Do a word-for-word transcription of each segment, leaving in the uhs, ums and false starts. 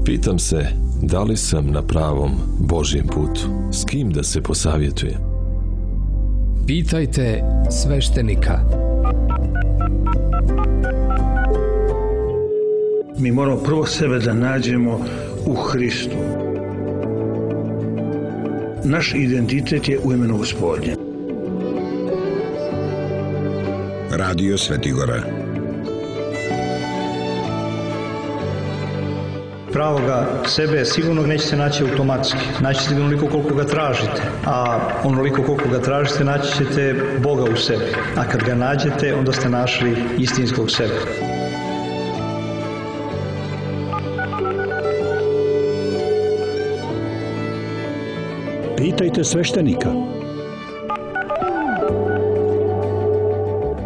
Pitam se, da li sam na pravom Božjem putu? S kim da se posavjetujem? Pitajte sveštenika. Mi moramo prvo sebe da nađemo u Hristu. Naš identitet je u imenu Gospodnje. Radio Svetigora. Pravoga sebe sigurno nećete naći automatski. Naći ćete onoliko koliko ga tražite. A onoliko koliko ga tražite naći ćete Boga u sebi. A kad ga nađete, onda ste našli istinskog sebe. Pitajte sveštenika.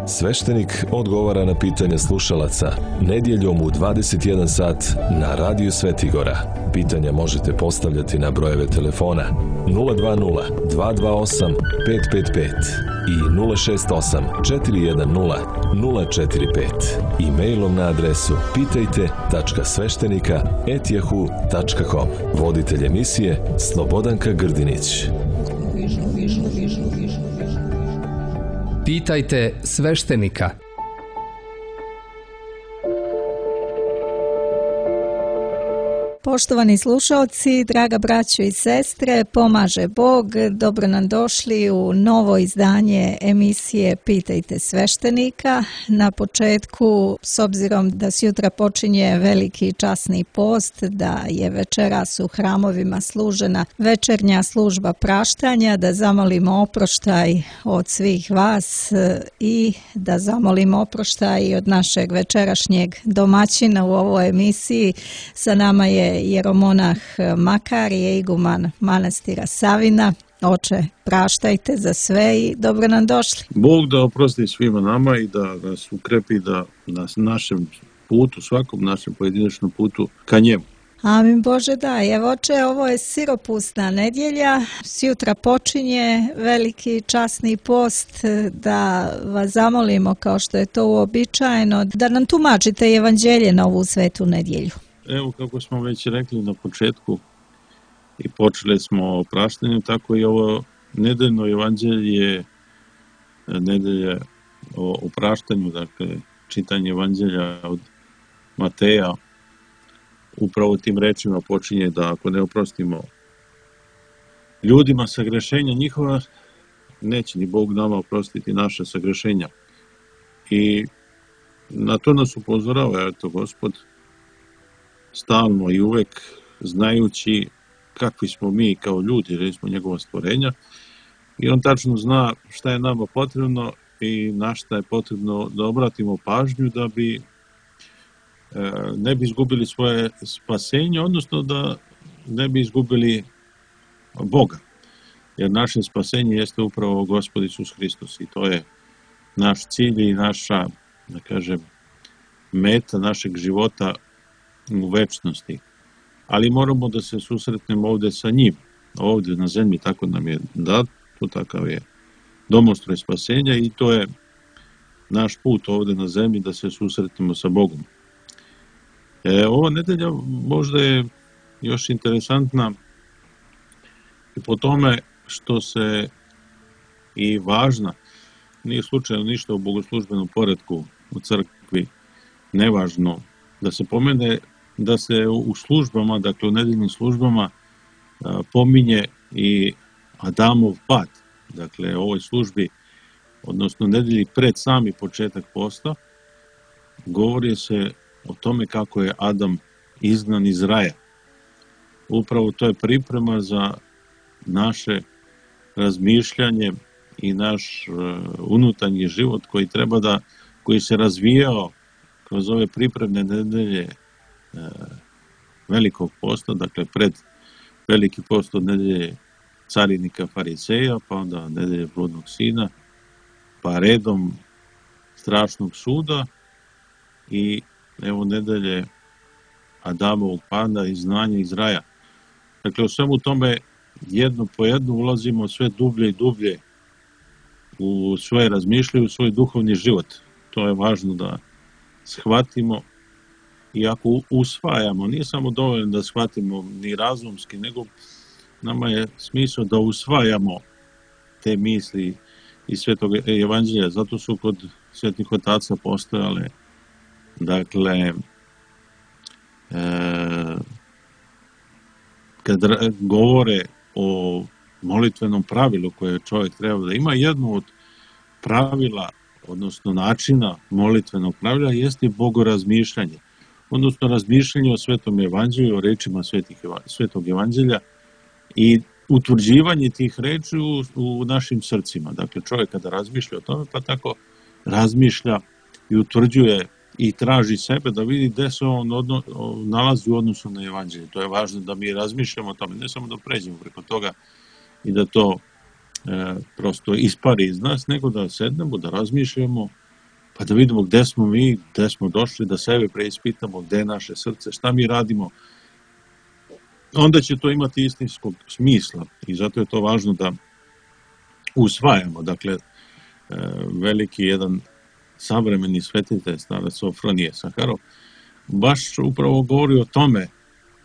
Sveštenik odgovara na pitanja slušalaca nedjeljom u dvadeset jedan sat na Radio Svetigora. Pitanja možete postavljati na brojeve telefona nula dva nula dva dva osam pet pet pet i nula šest osam četiri jedan nula nula četiri pet. E-mailom na adresu pitajte tačka sveštenika at yahoo tačka com. Voditelj emisije Slobodanka Grdinić. Pitajte sveštenika. Poštovani slušalci, draga braćo i sestre, pomaže Bog, dobro nam došli u novo izdanje emisije Pitajte sveštenika. Na početku, s obzirom da sutra počinje veliki časni post, da je večeras u hramovima služena večernja služba praštanja, da zamolimo oproštaj od svih vas i da zamolimo oproštaj od našeg večerašnjeg domaćina u ovoj emisiji. Sa nama je jeromonah Makarije, iguman manastira Savina. Oče, praštajte za sve i dobro nam došli. Bog da oprosti svima nama i da nas ukrepi da na našem putu, svakom našem pojedinačnom putu ka njemu. Amin Bože, da. Evo, oče, ovo je siropusna nedjelja. Sjutra počinje veliki časni post, da vas zamolimo, kao što je to uobičajeno, da nam tumačite evanđelje na ovu svetu nedjelju. Evo, kako smo već rekli na početku i počeli smo o praštanju, tako i ovo nedeljno evanđelje je nedelje o, o praštanju, dakle čitanje evanđelja od Mateja upravo tim rečima počinje da ako ne oprostimo ljudima sagrešenja njihova, neće ni Bog nama oprostiti naše sagrešenja. I na to nas upozorava, eto, Gospod, stalno i uvek znajući kakvi smo mi kao ljudi, jer smo njegova stvorenja, i on tačno zna šta je nama potrebno i na šta je potrebno da obratimo pažnju da bi e, ne bi izgubili svoje spasenje, odnosno da ne bi izgubili Boga. Jer naše spasenje jeste upravo Gospod Isus Hristos i to je naš cilj i naša, da kažem, meta našeg života u večnosti. Ali moramo da se susretnemo ovde sa njim, ovde na zemlji, tako nam je dato, takav je domostroj spasenja i to je naš put ovde na zemlji da se susretnemo sa Bogom. E, ova nedelja možda je još interesantna i po tome što se i važna, nije slučajno ništa u bogoslužbenom poretku u crkvi nevažno da se pomene, da se u službama, dakle u nedeljnim službama pominje i Adamov pad. Dakle, u ovoj službi, odnosno nedelji pred sami početak posta, govori se o tome kako je Adam izgnan iz raja. Upravo to je priprema za naše razmišljanje i naš unutarnji život koji treba da, koji se razvijao kroz ove pripremne nedelje velikog posta, dakle pred veliki post od nedelje carinika fariseja, pa onda nedelje bludnog sina, pa redom strašnog suda i evo nedelje Adamovog pada i znanja iz raja. Dakle, u svemu tome jedno po jedno ulazimo sve dublje i dublje u svoje razmišljanje, u svoj duhovni život. To je važno da shvatimo i ako usvajamo, nije samo dovoljno da shvatimo ni razumski, nego nama je smisao da usvajamo te misli iz Svetog evanđelja, zato su kod svetih otaca postojale, dakle, e, kad govore o molitvenom pravilu koje čovjek treba da ima, jedno od pravila, odnosno načina molitvenog pravila jeste bogorazmišljanje, odnosno razmišljanje o Svetom evanđelju, o rečima svetih, Svetog evanđelja i utvrđivanje tih reči u, u našim srcima. Dakle, čovjek kada razmišlja o tome, pa tako razmišlja i utvrđuje i traži sebe da vidi gde se on odno, nalazi u odnosu na evanđelje. To je važno da mi razmišljamo o tome, ne samo da pređemo preko toga i da to e, prosto ispari iz nas, nego da sednemo, da razmišljamo, pa da vidimo gde smo mi, gde smo došli, da sebe preispitamo, gde je naše srce, šta mi radimo. Onda će to imati istinskog smisla i zato je to važno da usvajamo. Dakle, veliki jedan savremeni svetitelj, starac Sofronije Saharov, baš upravo govori o tome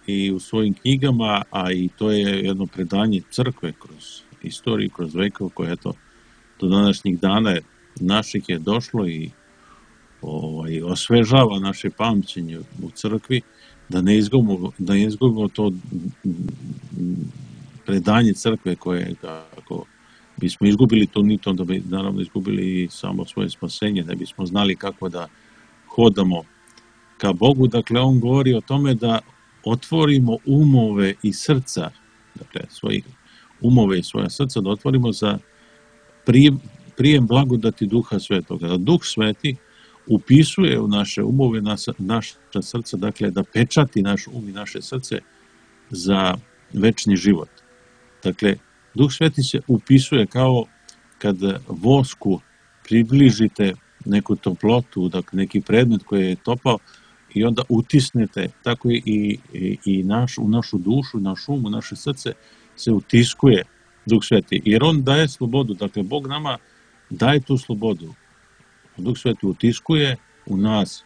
i u svojim knjigama, a i to je jedno predanje crkve kroz istoriju, kroz vekov, koje eto, do današnjih dana naših je došlo i ovaj, osvežava naše pamćenje u crkvi, da ne izgubimo, da ne izgubimo to predanje crkve koje, ako bismo izgubili to, ni to da bi naravno izgubili i samo svoje spasenje, ne bismo znali kako da hodamo ka Bogu. Dakle, on govori o tome da otvorimo umove i srca, dakle, svojih umove i svoja srca, da otvorimo za prijem, prijem blagodati Duha Svetoga. Da Duh Sveti upisuje u naše umove, naša srca, dakle, da pečati naš um i naše srce za večni život. Dakle, Duh Sveti se upisuje kao kad vosku približite neku toplotu, dakle, neki predmet koji je topao i onda utisnete, tako i, i, i naš, u našu dušu, naš um, u naše srce se utiskuje Duh Sveti. Jer on daje slobodu, dakle, Bog nama daje tu slobodu. Duh Sveti utiskuje u nas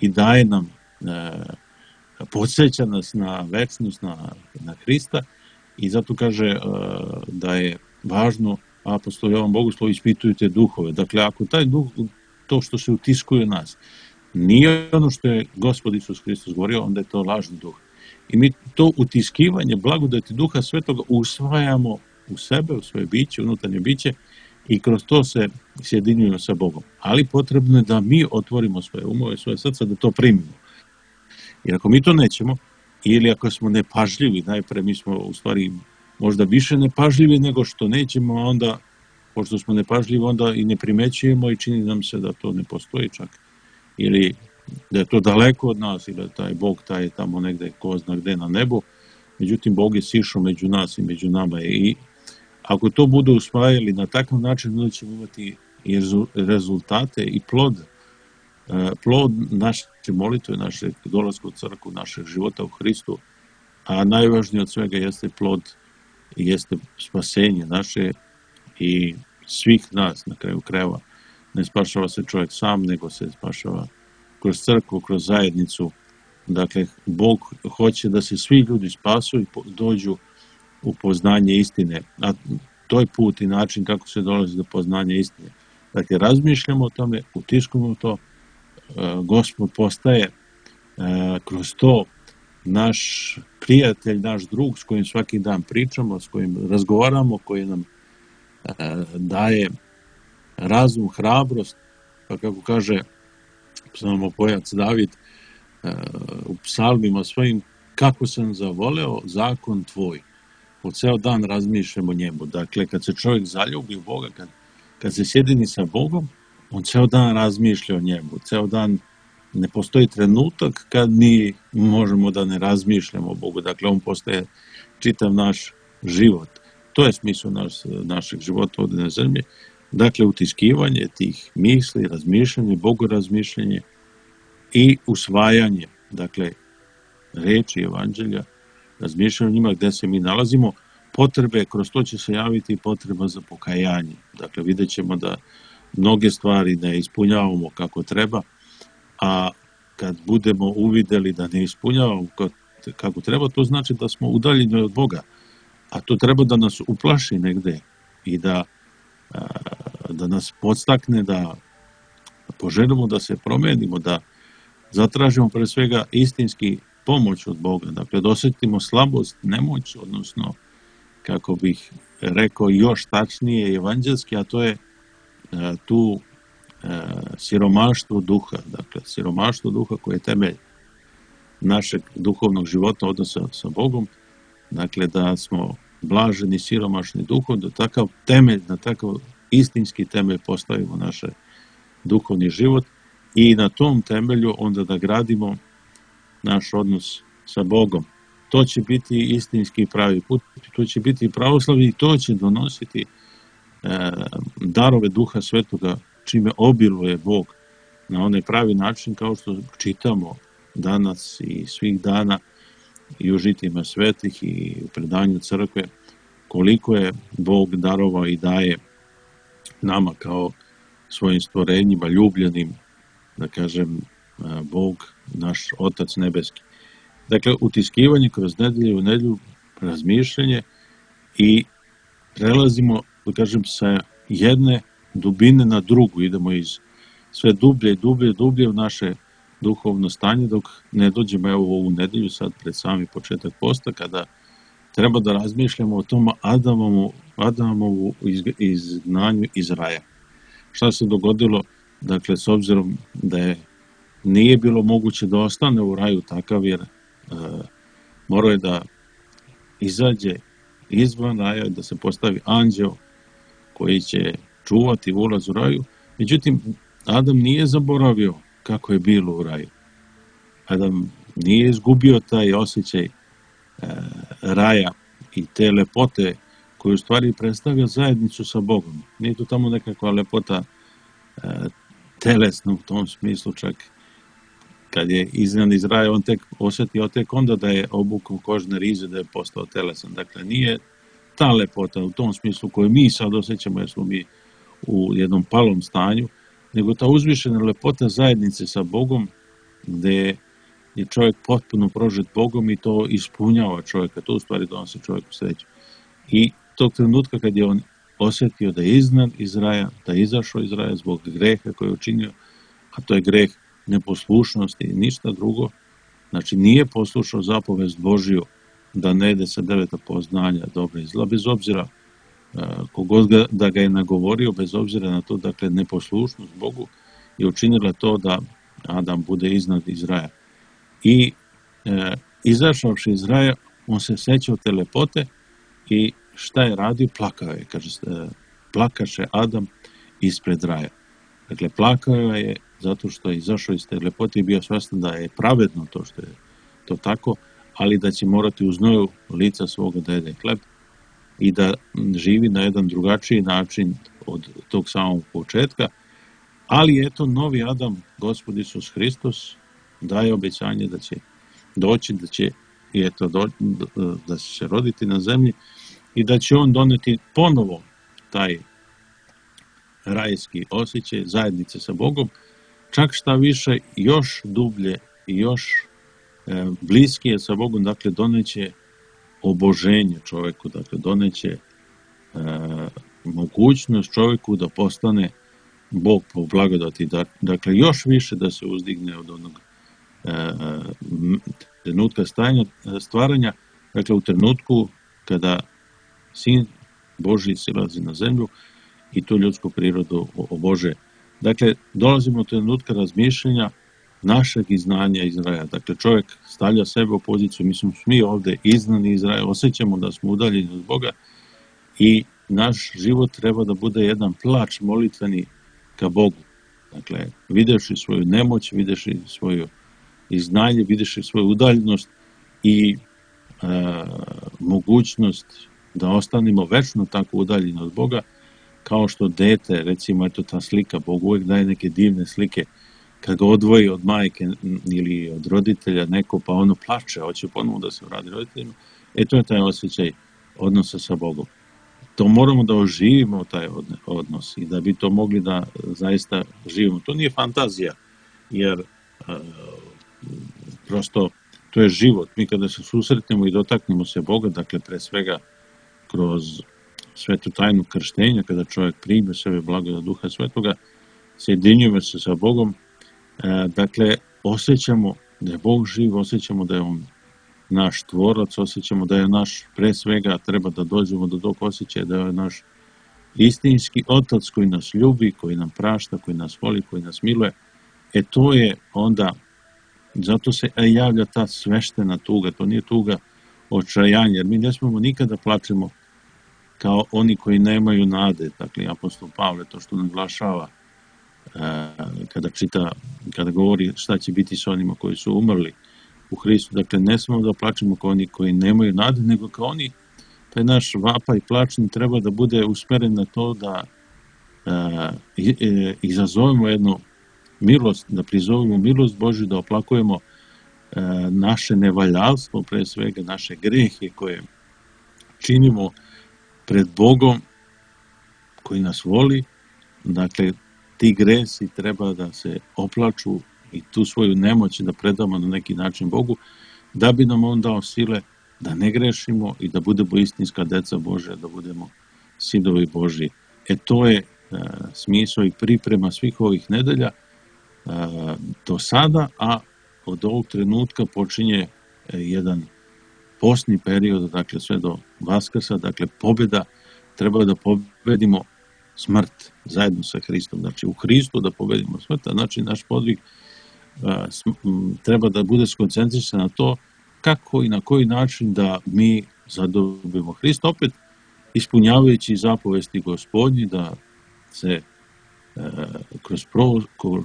i daje nam, e, podsjeća nas na večnost, na, na Hrista i zato kaže e, da je važno, apostol Jovan Bogoslov, ispitujte duhove. Dakle, ako taj duh, to što se utiskuje u nas, nije ono što je Gospod Isus Hristos govorio, onda je to lažni duh. I mi to utiskivanje blagodati Duha Svetoga usvajamo u sebe, u svoje biće, unutarnje biće, i kroz to se sjedinjujemo sa Bogom. Ali potrebno je da mi otvorimo svoje umove, svoje srca, da to primimo. Jer ako mi to nećemo, ili ako smo nepažljivi, najpre mi smo u stvari možda više nepažljivi nego što nećemo, a onda, pošto smo nepažljivi, onda i ne primećujemo i čini nam se da to ne postoji čak. Ili da je to daleko od nas, ili da taj Bog taj je tamo negde, ko zna gde na nebu. Međutim, Bog je sišao među nas i među nama i ako to budu usvajali na takav način, onda ćemo imati i rezultate i plod, plod naše molitve, našeg dolaska u crkvu, našeg života u Hristu, a najvažnije od svega jeste plod i jeste spasenje naše i svih nas na kraju krajeva. Ne spašava se čovjek sam, nego se spašava kroz crkvu, kroz zajednicu. Dakle, Bog hoće da se svi ljudi spasu i dođu u poznanje istine, a to je put i način kako se dolazi do poznanja istine. Dakle, razmišljamo o tome, utiskujemo to, Gospod postaje kroz to naš prijatelj, naš drug s kojim svaki dan pričamo, s kojim razgovaramo, koji nam daje razum, hrabrost, pa kako kaže psalmopojac David u psalmima svojim, kako sam zavoleo zakon tvoj. Po ceo dan razmišljamo o njemu. Dakle, kad se čovjek zaljubi u Boga, kad, kad se sjedini sa Bogom, on ceo dan razmišlja o njemu. Ceo dan ne postoji trenutak kad mi možemo da ne razmišljamo o Bogu. Dakle, on postaje čitav naš život. To je smisao naš, našeg života ovdje na zemlji. Dakle, utiskivanje tih misli, razmišljanje, bogorazmišljanje i usvajanje, dakle, reči evanđelja, razmišljanje o njima gde se mi nalazimo, potrebe, kroz to će se javiti potreba za pokajanje. Dakle, vidjet ćemo da mnoge stvari ne ispunjavamo kako treba, a kad budemo uvidjeli da ne ispunjavamo kako treba, to znači da smo udaljeni od Boga. A to treba da nas uplaši negde i da, da nas podstakne da poželimo da se promenimo, da zatražimo pre svega istinski pomoć od Boga. Dakle, da osjetimo slabost, nemoć, odnosno, kako bih rekao još tačnije evanđelski, a to je tu siromaštvo duha. Dakle, siromaštvo duha koje je temelj našeg duhovnog života, odnosa sa Bogom. Dakle, da smo blaženi, siromašni duhom, da takav temelj, na takav istinski temelj postavimo naš duhovni život i na tom temelju onda da gradimo naš odnos sa Bogom. To će biti istinski pravi put, to će biti pravoslavlje i to će donositi e, darove Duha Svetoga, čime obiluje Bog na onaj pravi način, kao što čitamo danas i svih dana i u žitima svetih i u predanju crkve, koliko je Bog darovao i daje nama kao svojim stvorenjima, ljubljenim, da kažem, Bog, naš Otac nebeski. Dakle, utiskivanje kroz nedelju u nedelju, razmišljanje i prelazimo, da kažem, sa jedne dubine na drugu, idemo iz sve dublje i dublje, dublje u naše duhovno stanje, dok ne dođemo evo u ovu nedelju, sad pred sami početak posta, kada treba da razmišljamo o tom Adamovu, Adamovu izgnanju iz raja. Šta se dogodilo, dakle, s obzirom da je nije bilo moguće da ostane u raju takav, jer e, morao je da izađe izvan raja, da se postavi anđeo koji će čuvati ulaz u raju. Međutim, Adam nije zaboravio kako je bilo u raju. Adam nije izgubio taj osjećaj e, raja i te lepote koju u stvari predstavlja zajednicu sa Bogom. Nije to tamo nekakva lepota e, telesna u tom smislu, čak kad je izgnan iz raja, on tek osjetio tek onda da je obukao kožne rize, da je postao telesan. Dakle, nije ta lepota u tom smislu koju mi sad osjećamo, jer smo mi u jednom palom stanju, nego ta uzvišena lepota zajednice sa Bogom, gde je čovjek potpuno prožet Bogom i to ispunjava čovjeka, to u stvari donosi čovjeku sreću. I tog trenutka kad je on osjetio da je izgnan iz raja, da je izašao iz raja zbog greha koji je učinio, a to je greh neposlušnosti i ništa drugo, znači nije poslušao zapovest Božiju da ne ide sa deveta poznanja dobra i zla, bez obzira kogod ga, da ga je nagovorio, bez obzira na to, dakle, neposlušnost Bogu je učinila to da Adam bude iznad iz raja. I e, izašavši iz raja, on se sećao te lepote i šta je radio? Plakao je, kaže, plakaše Adam ispred raja. Dakle, plakao je zato što je izašao iz te lepote i bio svjestan da je pravedno to što je to tako, ali da će morati u znoju lica svoga da jede hleb i da živi na jedan drugačiji način od tog samog početka. Ali eto, novi Adam, Gospod Isus Hristos, daje obećanje da će doći, da će, i eto, do, da će se roditi na zemlji i da će on doneti ponovo taj rajski osjećaj zajednice sa Bogom, čak šta više, još dublje i još e, bliskije sa Bogom, dakle, doneće oboženje čovjeku, dakle, doneće e, mogućnost čovjeku da postane Bog po blagodati, dakle, još više da se uzdigne od onog e, trenutka stajanja, stvaranja, dakle, u trenutku kada Sin Božji silazi na zemlju i tu ljudsku prirodu obože. Dakle, dolazimo do trenutka razmišljanja našeg iznanja iz raja. Dakle, čovjek stavlja sebe u poziciju, mi smo svi ovdje iznani iz raja, osjećamo da smo udaljeni od Boga i naš život treba da bude jedan plač molitveni ka Bogu. Dakle, videvši svoju nemoć, videvši svoju iznanje, videvši svoju udaljenost i e, mogućnost da ostanemo večno tako udaljeni od Boga, kao što dete, recimo, eto ta slika, Bog uvijek daje neke divne slike, kad ga odvoji od majke ili od roditelja neko, pa ono plače, hoće ponovno da se vrati roditeljima, e to je taj osjećaj odnosa sa Bogom. To moramo da oživimo taj odnos i da bi to mogli da zaista živimo. To nije fantazija, jer uh, prosto to je život. Mi kada se susretnemo i dotaknemo se Boga, dakle pre svega kroz svetu tajnu krštenja, kada čovjek prime sebe blagodat Duha Svetoga, sjedinjujemo se sa Bogom, e, dakle osjećamo da je Bog živ, osjećamo da je On naš tvorac, osjećamo da je naš, pre svega treba da dođemo do tog osjećaja da je naš istinski Otac koji nas ljubi, koji nam prašta, koji nas voli, koji nas miluje. E to je onda, zato se javlja ta sveštena tuga, to nije tuga očajanja, jer mi ne smemo nikada plačemo kao oni koji nemaju nade. Dakle, apostol Pavle to što naglašava kada čita, kada govori šta će biti s onima koji su umrli u Hristu. Dakle, ne smemo da plačemo kao oni koji nemaju nade, nego kao oni, taj naš vapaj i plač treba da bude usmeren na to da e, e, izazovemo jednu milost, da prizovemo milost Božju, da oplakujemo e, naše nevaljalstvo, pre svega naše grehe koje činimo pred Bogom koji nas voli. Dakle, ti gresi treba da se oplaču i tu svoju nemoć da predamo na neki način Bogu, da bi nam On dao sile da ne grešimo i da budemo istinska deca Božja, da budemo sidovi Božji. E to je e, smisao i priprema svih ovih nedelja e, do sada, a od ovog trenutka počinje e, jedan postni period, dakle sve do Vaskrsa, dakle pobjeda, treba da pobedimo smrt zajedno sa Hristom, znači u Hristu da pobedimo smrt, a znači naš podvig a, sm, m, treba da bude skoncentrisan na to kako i na koji način da mi zadobimo Hrista, opet ispunjavajući zapovesti Gospodnji, da se e, kroz, pro,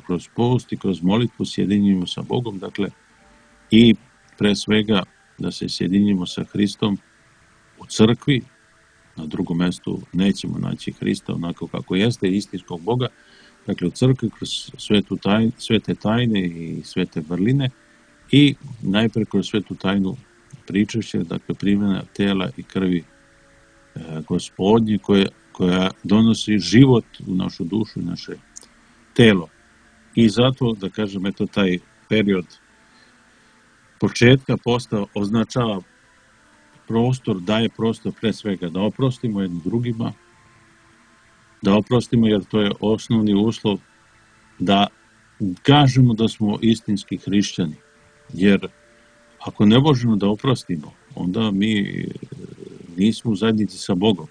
kroz post i kroz molitvu sjedinjimo sa Bogom, dakle i pre svega da se sjedinjimo sa Hristom u crkvi. Na drugom mjestu nećemo naći Hrista onako kako jeste, istinskog Boga, dakle u crkvi kroz svetu tajne, svete tajne i svete vrline i najpre kroz svetu tajnu pričešća, dakle primjena tela i krvi e, Gospodnje koja, koja donosi život u našu dušu i naše telo. I zato, da kažem, eto taj period početka posta označava prostor, daje prostor pre svega da oprostimo jednim drugima, da oprostimo jer to je osnovni uslov da kažemo da smo istinski hrišćani. Jer ako ne možemo da oprostimo, onda mi nismo u zajednici sa Bogom.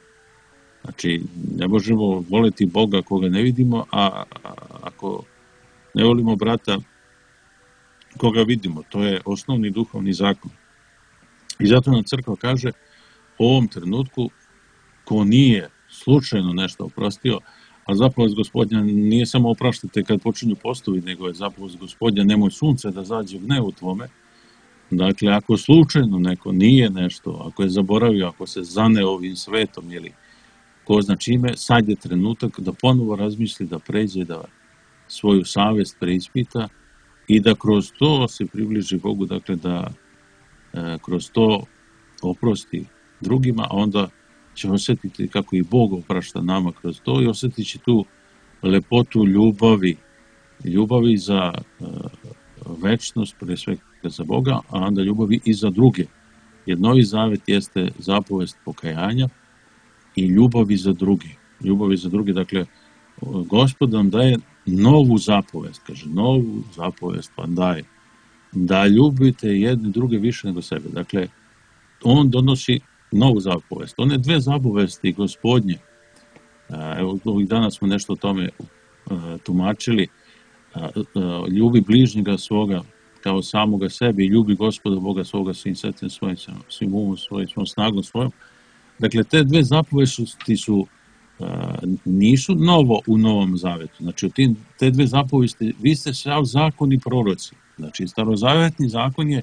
Znači, ne možemo voleti Boga koga ne vidimo, a ako ne volimo brata koga vidimo, to je osnovni duhovni zakon. I zato nam crkva kaže u ovom trenutku ko nije slučajno nešto oprostio, a zapovest Gospodnja nije samo opraštajte kad počinju postovi, nego je zapovest Gospodnja nemoj sunce da zađe gnev u tvome. Dakle, ako slučajno neko nije nešto, ako je zaboravio, ako se zane ovim svetom ili ko zna čime, sad je trenutak da ponovo razmisli, da pređe, da svoju savest preispita i da kroz to se približi Bogu, dakle da e, kroz to oprosti drugima, a onda će osjetiti kako i Bog oprašta nama kroz to i osjetit će tu lepotu ljubavi, ljubavi za e, večnost, pre svega za Boga, a onda ljubavi i za druge. Jer Novi Zavet jeste zapovest pokajanja i ljubavi za druge. Ljubavi za druge, dakle, Gospod nam daje novu zapovest, kaže, novu zapovest vam daje, da ljubite jedni druge više nego sebe. Dakle, on donosi novu zapovest. One dve zapovesti Gospodnje, evo, ovih dana smo nešto o tome tumačili, ljubi bližnjega svoga kao samoga sebe i ljubi Gospoda Boga svoga svim srcem svojim, svim umom svojim, svojom snagom svojom. Dakle, te dve zapovesti su nisu novo u Novom Zavetu. Znači, u tim, te dve zapovesti, vi ste sav zakon i proroci. Znači, starozavetni zakon je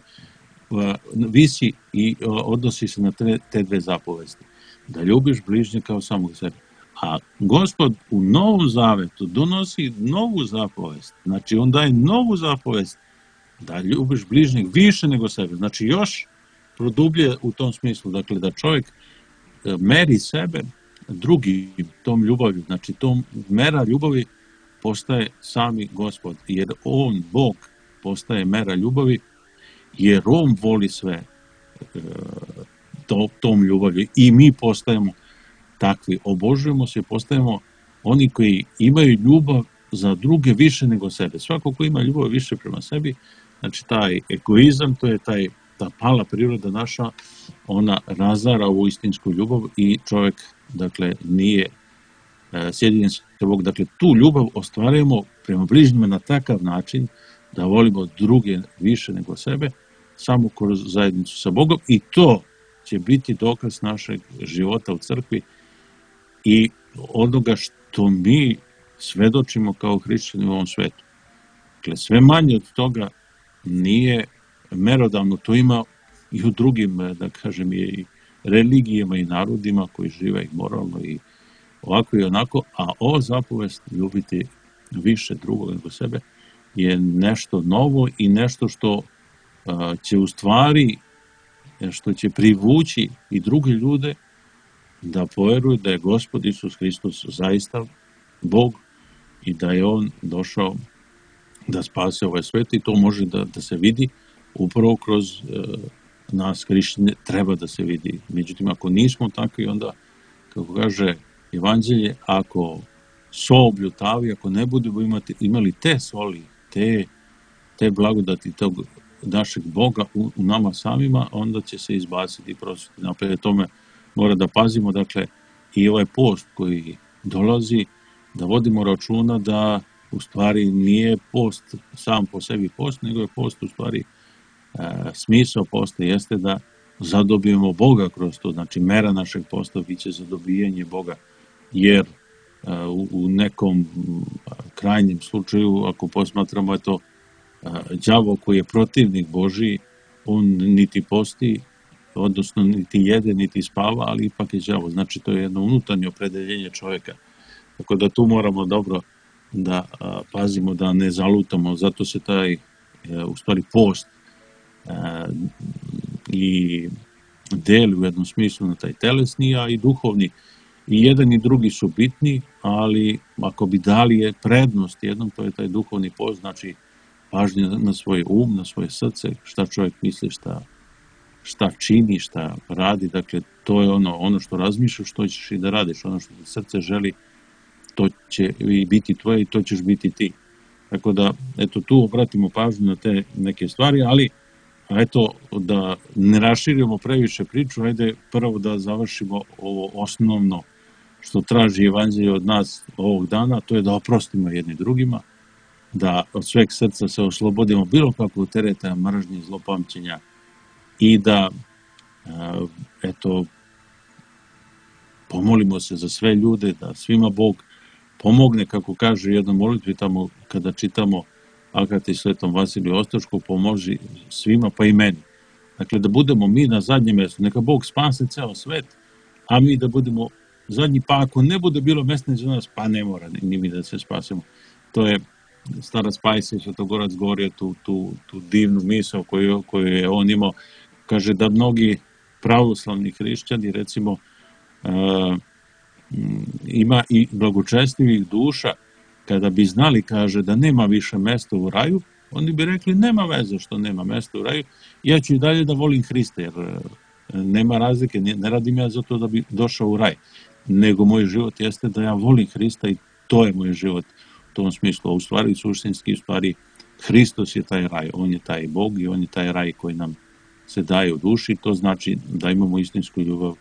visi i odnosi se na te, te dve zapovesti. Da ljubiš bližnje kao samog sebe. A Gospod u Novom Zavetu donosi novu zapovest. Znači, on daje novu zapovest da ljubiš bližnjeg više nego sebe. Znači, još produblje u tom smislu. Dakle, da čovjek meri sebe drugim tom ljubavlju. Znači, tom mera ljubavi postaje sami Gospod. Jer on, Bog, postaje mera ljubavi jer on voli sve to, tom ljubavlju i mi postajemo takvi, obožujemo se, postajemo oni koji imaju ljubav za druge više nego sebe. Svako ko ima ljubav više prema sebi, znači taj egoizam, to je taj, ta pala priroda naša, ona razara ovu istinsku ljubav i čovjek, dakle, nije e, sjedinjen sa Bogom. Dakle, tu ljubav ostvarujemo prema bližnjima na takav način da volimo druge više nego sebe, samo kroz zajednicu sa Bogom, i to će biti dokaz našeg života u crkvi i onoga što mi svedočimo kao hrišćani u ovom svetu. Dakle, sve manje od toga nije merodavno, to ima i u drugim, da kažem, i religijama i narodima koji žive i moralno i ovako i onako, a ova zapovest ljubiti više drugog nego sebe je nešto novo i nešto što a, će u stvari, što će privući i druge ljude da poveruju da je Gospod Isus Hristos zaista Bog i da je On došao da spase ovaj svet, i to može da, da se vidi upravo kroz e, nas hrišćane, treba da se vidi. Međutim, ako nismo takvi, onda, kako kaže Evanđelje, ako so obljutavi, ako ne budemo imati, imali te soli, te, te blagodati tog našeg Boga u, u nama samima, onda će se izbaciti prosvjeti. Napred tome mora da pazimo, dakle, i ovaj post koji dolazi, da vodimo računa da u stvari nije post sam po sebi post, nego je post u stvari e, smisao posta jeste da zadobijemo Boga kroz to. Znači, mera našeg posta biće zadobijanje Boga, jer e, u, u nekom krajnjem slučaju, ako posmatramo, je to e, đavo koji je protivnik Božiji, on niti posti, odnosno niti jede, niti spava, ali ipak je đavo. Znači, to je jedno unutarnje opredeljenje čovjeka. Tako da tu moramo dobro da a, pazimo da ne zalutamo, zato se taj, e, u stvari, post e, i deli u jednom smislu na taj telesni, a i duhovni. I jedan i drugi su bitni, ali ako bi dali je prednost jednom, to je taj duhovni post, znači pažnja na svoj um, na svoje srce, šta čovjek misli, šta, šta čini, šta radi, dakle to je ono, ono što razmišljaš, što ćeš i da radiš, ono što srce želi, to će i biti tvoje i to ćeš biti ti. Tako da, eto, tu obratimo pažnju na te neke stvari, ali eto, da ne raširimo previše priču, ajde prvo da završimo ovo osnovno što traži Evanđelje od nas ovog dana, to je da oprostimo jedni drugima, da od sveg srca se oslobodimo bilo kakvog tereta, mržnje, zlopamćenja i da, eto, pomolimo se za sve ljude, da svima Bog pomogne, kako kaže u jednoj molitvi tamo kada čitamo Akati Svetom Vasiliju Ostočku, pomoži svima pa i meni. Dakle, da budemo mi na zadnjem mjestu, neka Bog spase ceo svet, a mi da budemo zadnji, pa ako ne bude bilo mjesta za nas, pa ne mora ni mi da se spasemo. To je Starac Pajsije, Svetogorac govorio tu, tu, tu divnu misao koju, koju je on imao. Kaže da mnogi pravoslavni hrišćani, recimo, uh, ima i blagočestivih duša, kada bi znali, kaže, da nema više mesta u raju, oni bi rekli, nema veze što nema mesta u raju, ja ću i dalje da volim Hrista, jer nema razlike, ne radim ja zato da bi došao u raj, nego moj život jeste da ja volim Hrista i to je moj život u tom smislu. A u stvari, suštinski, u stvari, Hristos je taj raj, on je taj Bog i on je taj raj koji nam se daje u duši, to znači da imamo istinsku ljubav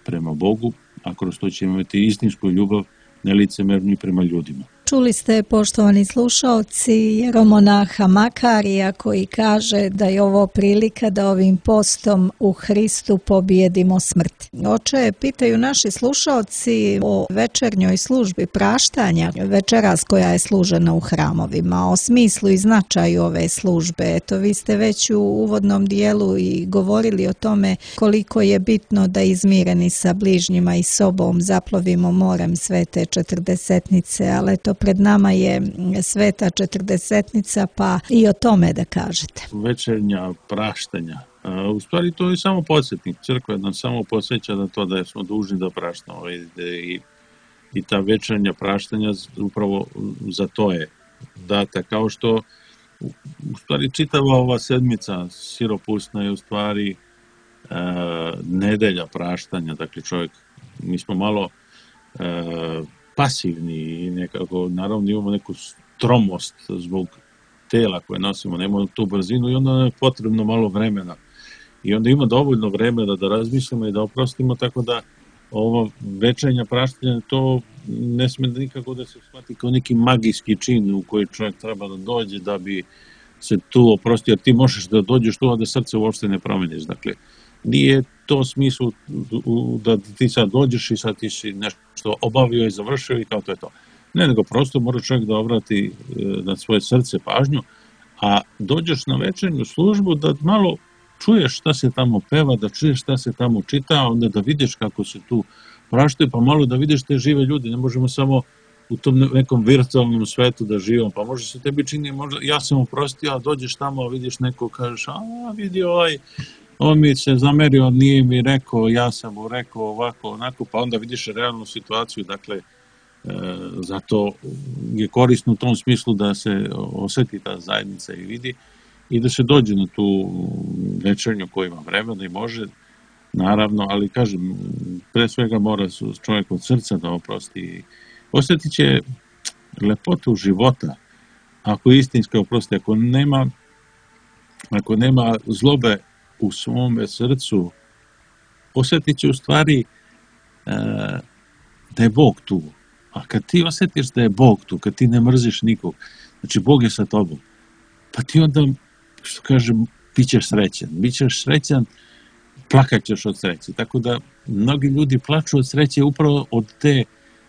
prema Bogu, a kroz to ćemo imati istinsku ljubav nelicemernu i prema ljudima. Čuli ste, poštovani slušaoci, jeromonaha Makarija koji kaže da je ovo prilika da ovim postom u Hristu pobijedimo smrt. Oče, pitaju naši slušaoci o večernjoj službi praštanja, večeras koja je služena u hramovima, o smislu i značaju ove službe. Eto, vi ste već u uvodnom dijelu i govorili o tome koliko je bitno da izmireni sa bližnjima i sobom zaplovimo morem svete četrdesetnice, ali eto, pred nama je sveta četrdesetnica, pa i o tome da kažete. Večernja praštanja. U stvari to je samo podsjetnik. Crkva nam samo podsjeća na to da smo dužni da praštamo. I, i ta večernja praštanja upravo za to je data. Kao što u stvari čitava ova sedmica siropusna je u stvari e, nedelja praštanja, dakle čovjek, mi smo malo e, pasivni i nekako, naravno imamo neku tromost zbog tela koje nosimo, nemamo tu brzinu i onda je potrebno malo vremena. I onda ima dovoljno vremena da razmislimo i da oprostimo, tako da ovo večernja praštanja, to ne sme nikako da se shvati kao neki magijski čin u koji čovjek treba da dođe da bi se tu oprostio, jer ti možeš da dođeš tu, a da srce uopšte ne promeniš. Dakle, nije to smislu da ti sad dođeš i sad ti si nešto obavio i završio i kao to je to. Ne, nego prosto mora čovjek da obrati na svoje srce pažnju, a dođeš na večernju službu da malo čuješ šta se tamo peva, da čuješ šta se tamo čita, onda da vidiš kako se tu praštaju, pa malo da vidiš te žive ljudi. Ne možemo samo u tom nekom virtualnom svetu da živimo, pa može se tebi čini, možda, ja sam oprostio, a dođeš tamo, a vidiš neko, kažeš, a vidi ovaj, on mi se zamerio, nije mi rekao, ja sam mu rekao ovako, onako, pa onda vidiš realnu situaciju, dakle, e, zato je korisno u tom smislu da se osjeti ta zajednica i vidi i da se dođe na tu večernju koja ima vremena i može, naravno, ali kažem, pre svega mora čovjek od srca da oprosti. Osjetit će lepotu života, ako je istinski oprosti, ako nema, ako nema zlobe u svome srcu, osjetit će u stvari e, da je Bog tu. A kad ti osjetiš da je Bog tu, kad ti ne mrziš nikog, znači Bog je sa tobom, pa ti onda, što kažem, bit ćeš srećan. Bićeš srećan, plakat ćeš od sreće. Tako da mnogi ljudi plaču od sreće upravo od te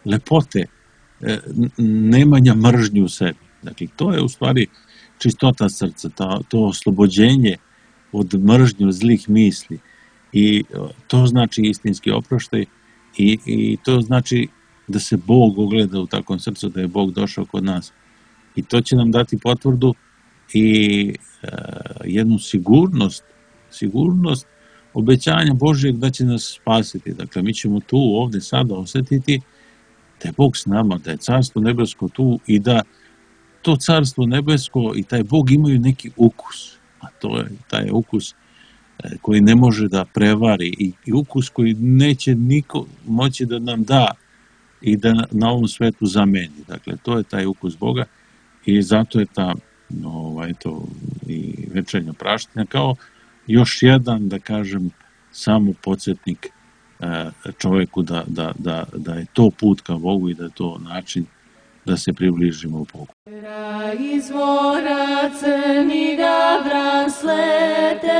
lepote, e, nemanja mržnje u sebi. Dakle, to je u stvari čistota srca, ta, to oslobođenje od mržnje, od zlih misli. I to znači istinski oproštaj i, i to znači da se Bog ogleda u takvom srcu, da je Bog došao kod nas. I to će nam dati potvrdu i e, jednu sigurnost, sigurnost obećanja Božjeg da će nas spasiti. Dakle, mi ćemo tu ovdje sada osjetiti da je Bog s nama, da je Carstvo nebesko tu i da to Carstvo nebesko i taj Bog imaju neki ukus, a to je taj ukus koji ne može da prevari i, i ukus koji neće niko moći da nam da i da na, na ovom svetu zameni. Dakle, to je taj ukus Boga i zato je ta ovaj, to, i večernja praštanja kao još jedan, da kažem, samo podsjetnik čovjeku da, da, da, da je to put ka Bogu i da je to način da se približimo u Bogu. Izvora crni gavran sleteo,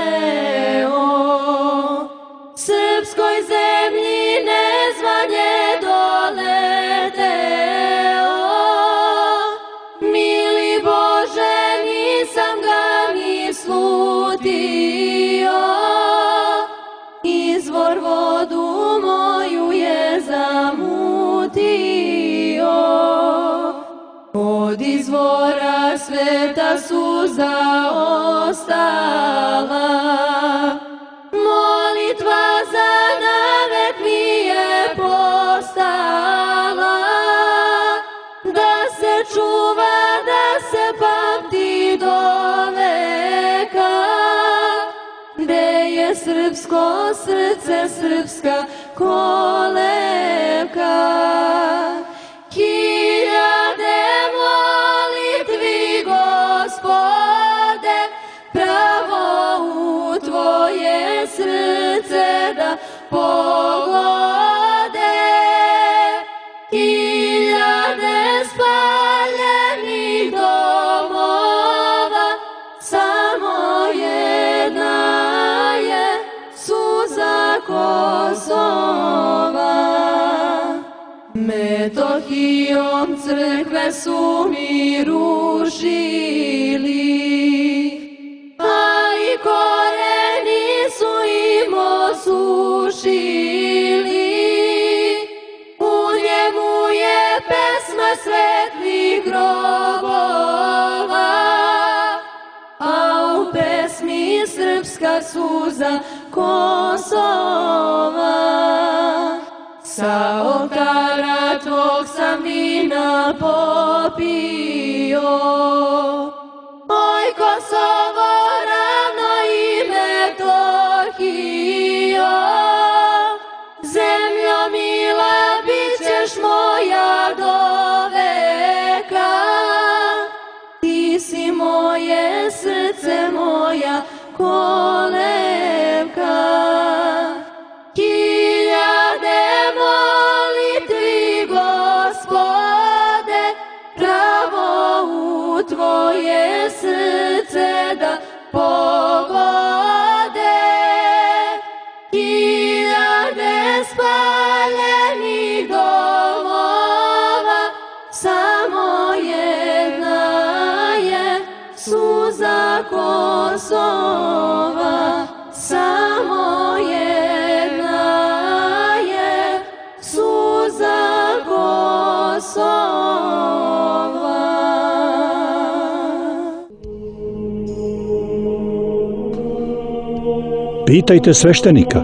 srpskoj zemlji nezvanje doleteo. Mili Bože, nisam ga ni slutio, izvor vodu moju je zamutio. Od izvora sveta suza ostala, molitva za navek mi je postala, da se čuva, da se pamti do veka, gde je srpsko srce, srpska kolevka. Hiljade molitvi, Gospode, pravo u Tvoje srce da pogode. Hiljade spaljenih domova, samo jedna je suza Kosova. Metohijom crkve su mi rušili, a i koreni su im osušili. U njemu je pesma svetlih grobova, a u pesmi srpska suza Kosova. Sa oltara tvog sam vina popio, oj Kosovo, ravno i Metohija. Zemljo mila, bit ćeš moja do veka. Ti si moje srce, moja kolevka. Hiljade molitvi, Gospode, pravo u tvoje srce da pogode. Hiljade spaljenih domova, samo jedna je suza Kosova. Samo jedna je suza Kosova. Pitajte sveštenika.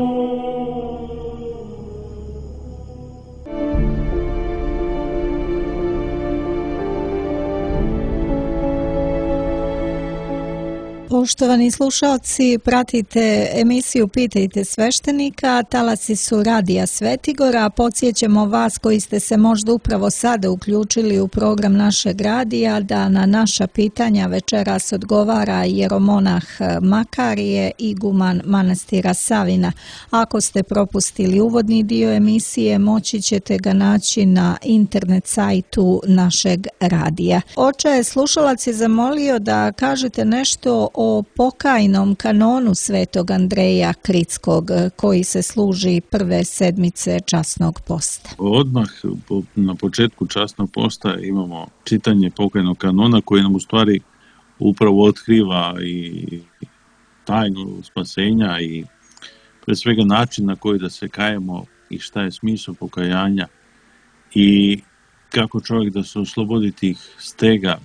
Poštovani slušalci, pratite emisiju Pitajte sveštenika, talasi su Radija Svetigora. Podsjećamo vas koji ste se možda upravo sada uključili u program našeg radija da na naša pitanja večeras odgovara jeromonah Makarije, iguman manastira Savina. Ako ste propustili uvodni dio emisije, moći ćete ga naći na internet sajtu našeg radija. Oče, slušalac je zamolio da kažete nešto o pokajnom kanonu Svetog Andreja Kritskog koji se služi prve sedmice časnog posta. Odmah na početku časnog posta imamo čitanje pokajnog kanona koji nam u stvari upravo otkriva i tajnu spasenja i pre svega način na koji da se kajemo i šta je smisao pokajanja i kako čovjek da se oslobodi tih stega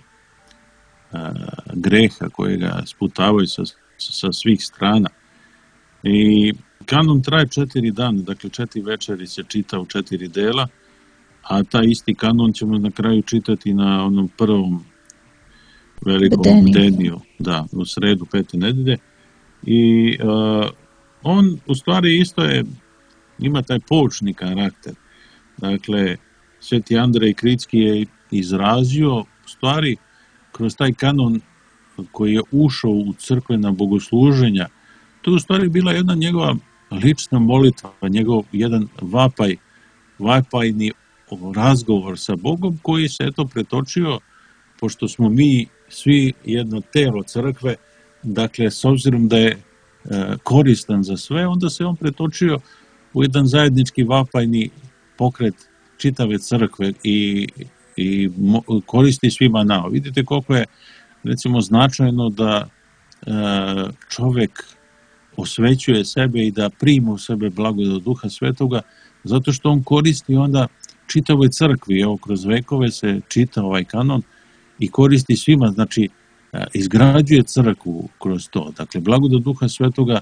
greha koje ga sputavaju sa, sa svih strana. I kanon traje četiri dana, dakle četiri večeri se čita u četiri dela, a taj isti kanon ćemo na kraju čitati na onom prvom velikom bdeniju, da, u sredu pete nedelje. I uh, on u stvari isto je, ima taj poučni karakter. Dakle, Sveti Andrej Kritski je izrazio u stvari kroz taj kanon koji je ušao u crkvena bogosluženja, to je u stvari bila jedna njegova lična molitva, njegov jedan vapaj, vapajni razgovor sa Bogom koji se eto pretočio, pošto smo mi svi jedno telo crkve, dakle s obzirom da je e, koristan za sve, onda se on pretočio u jedan zajednički vapajni pokret čitave crkve i i koristi svima nama. Vidite koliko je recimo značajno da e, čovek osvećuje sebe i da prima u sebe blagodat Duha Svetoga, zato što on koristi onda čitavoj crkvi. Evo, kroz vekove se čita ovaj kanon i koristi svima, znači e, izgrađuje crkvu kroz to. Dakle, blagodat Duha Svetoga,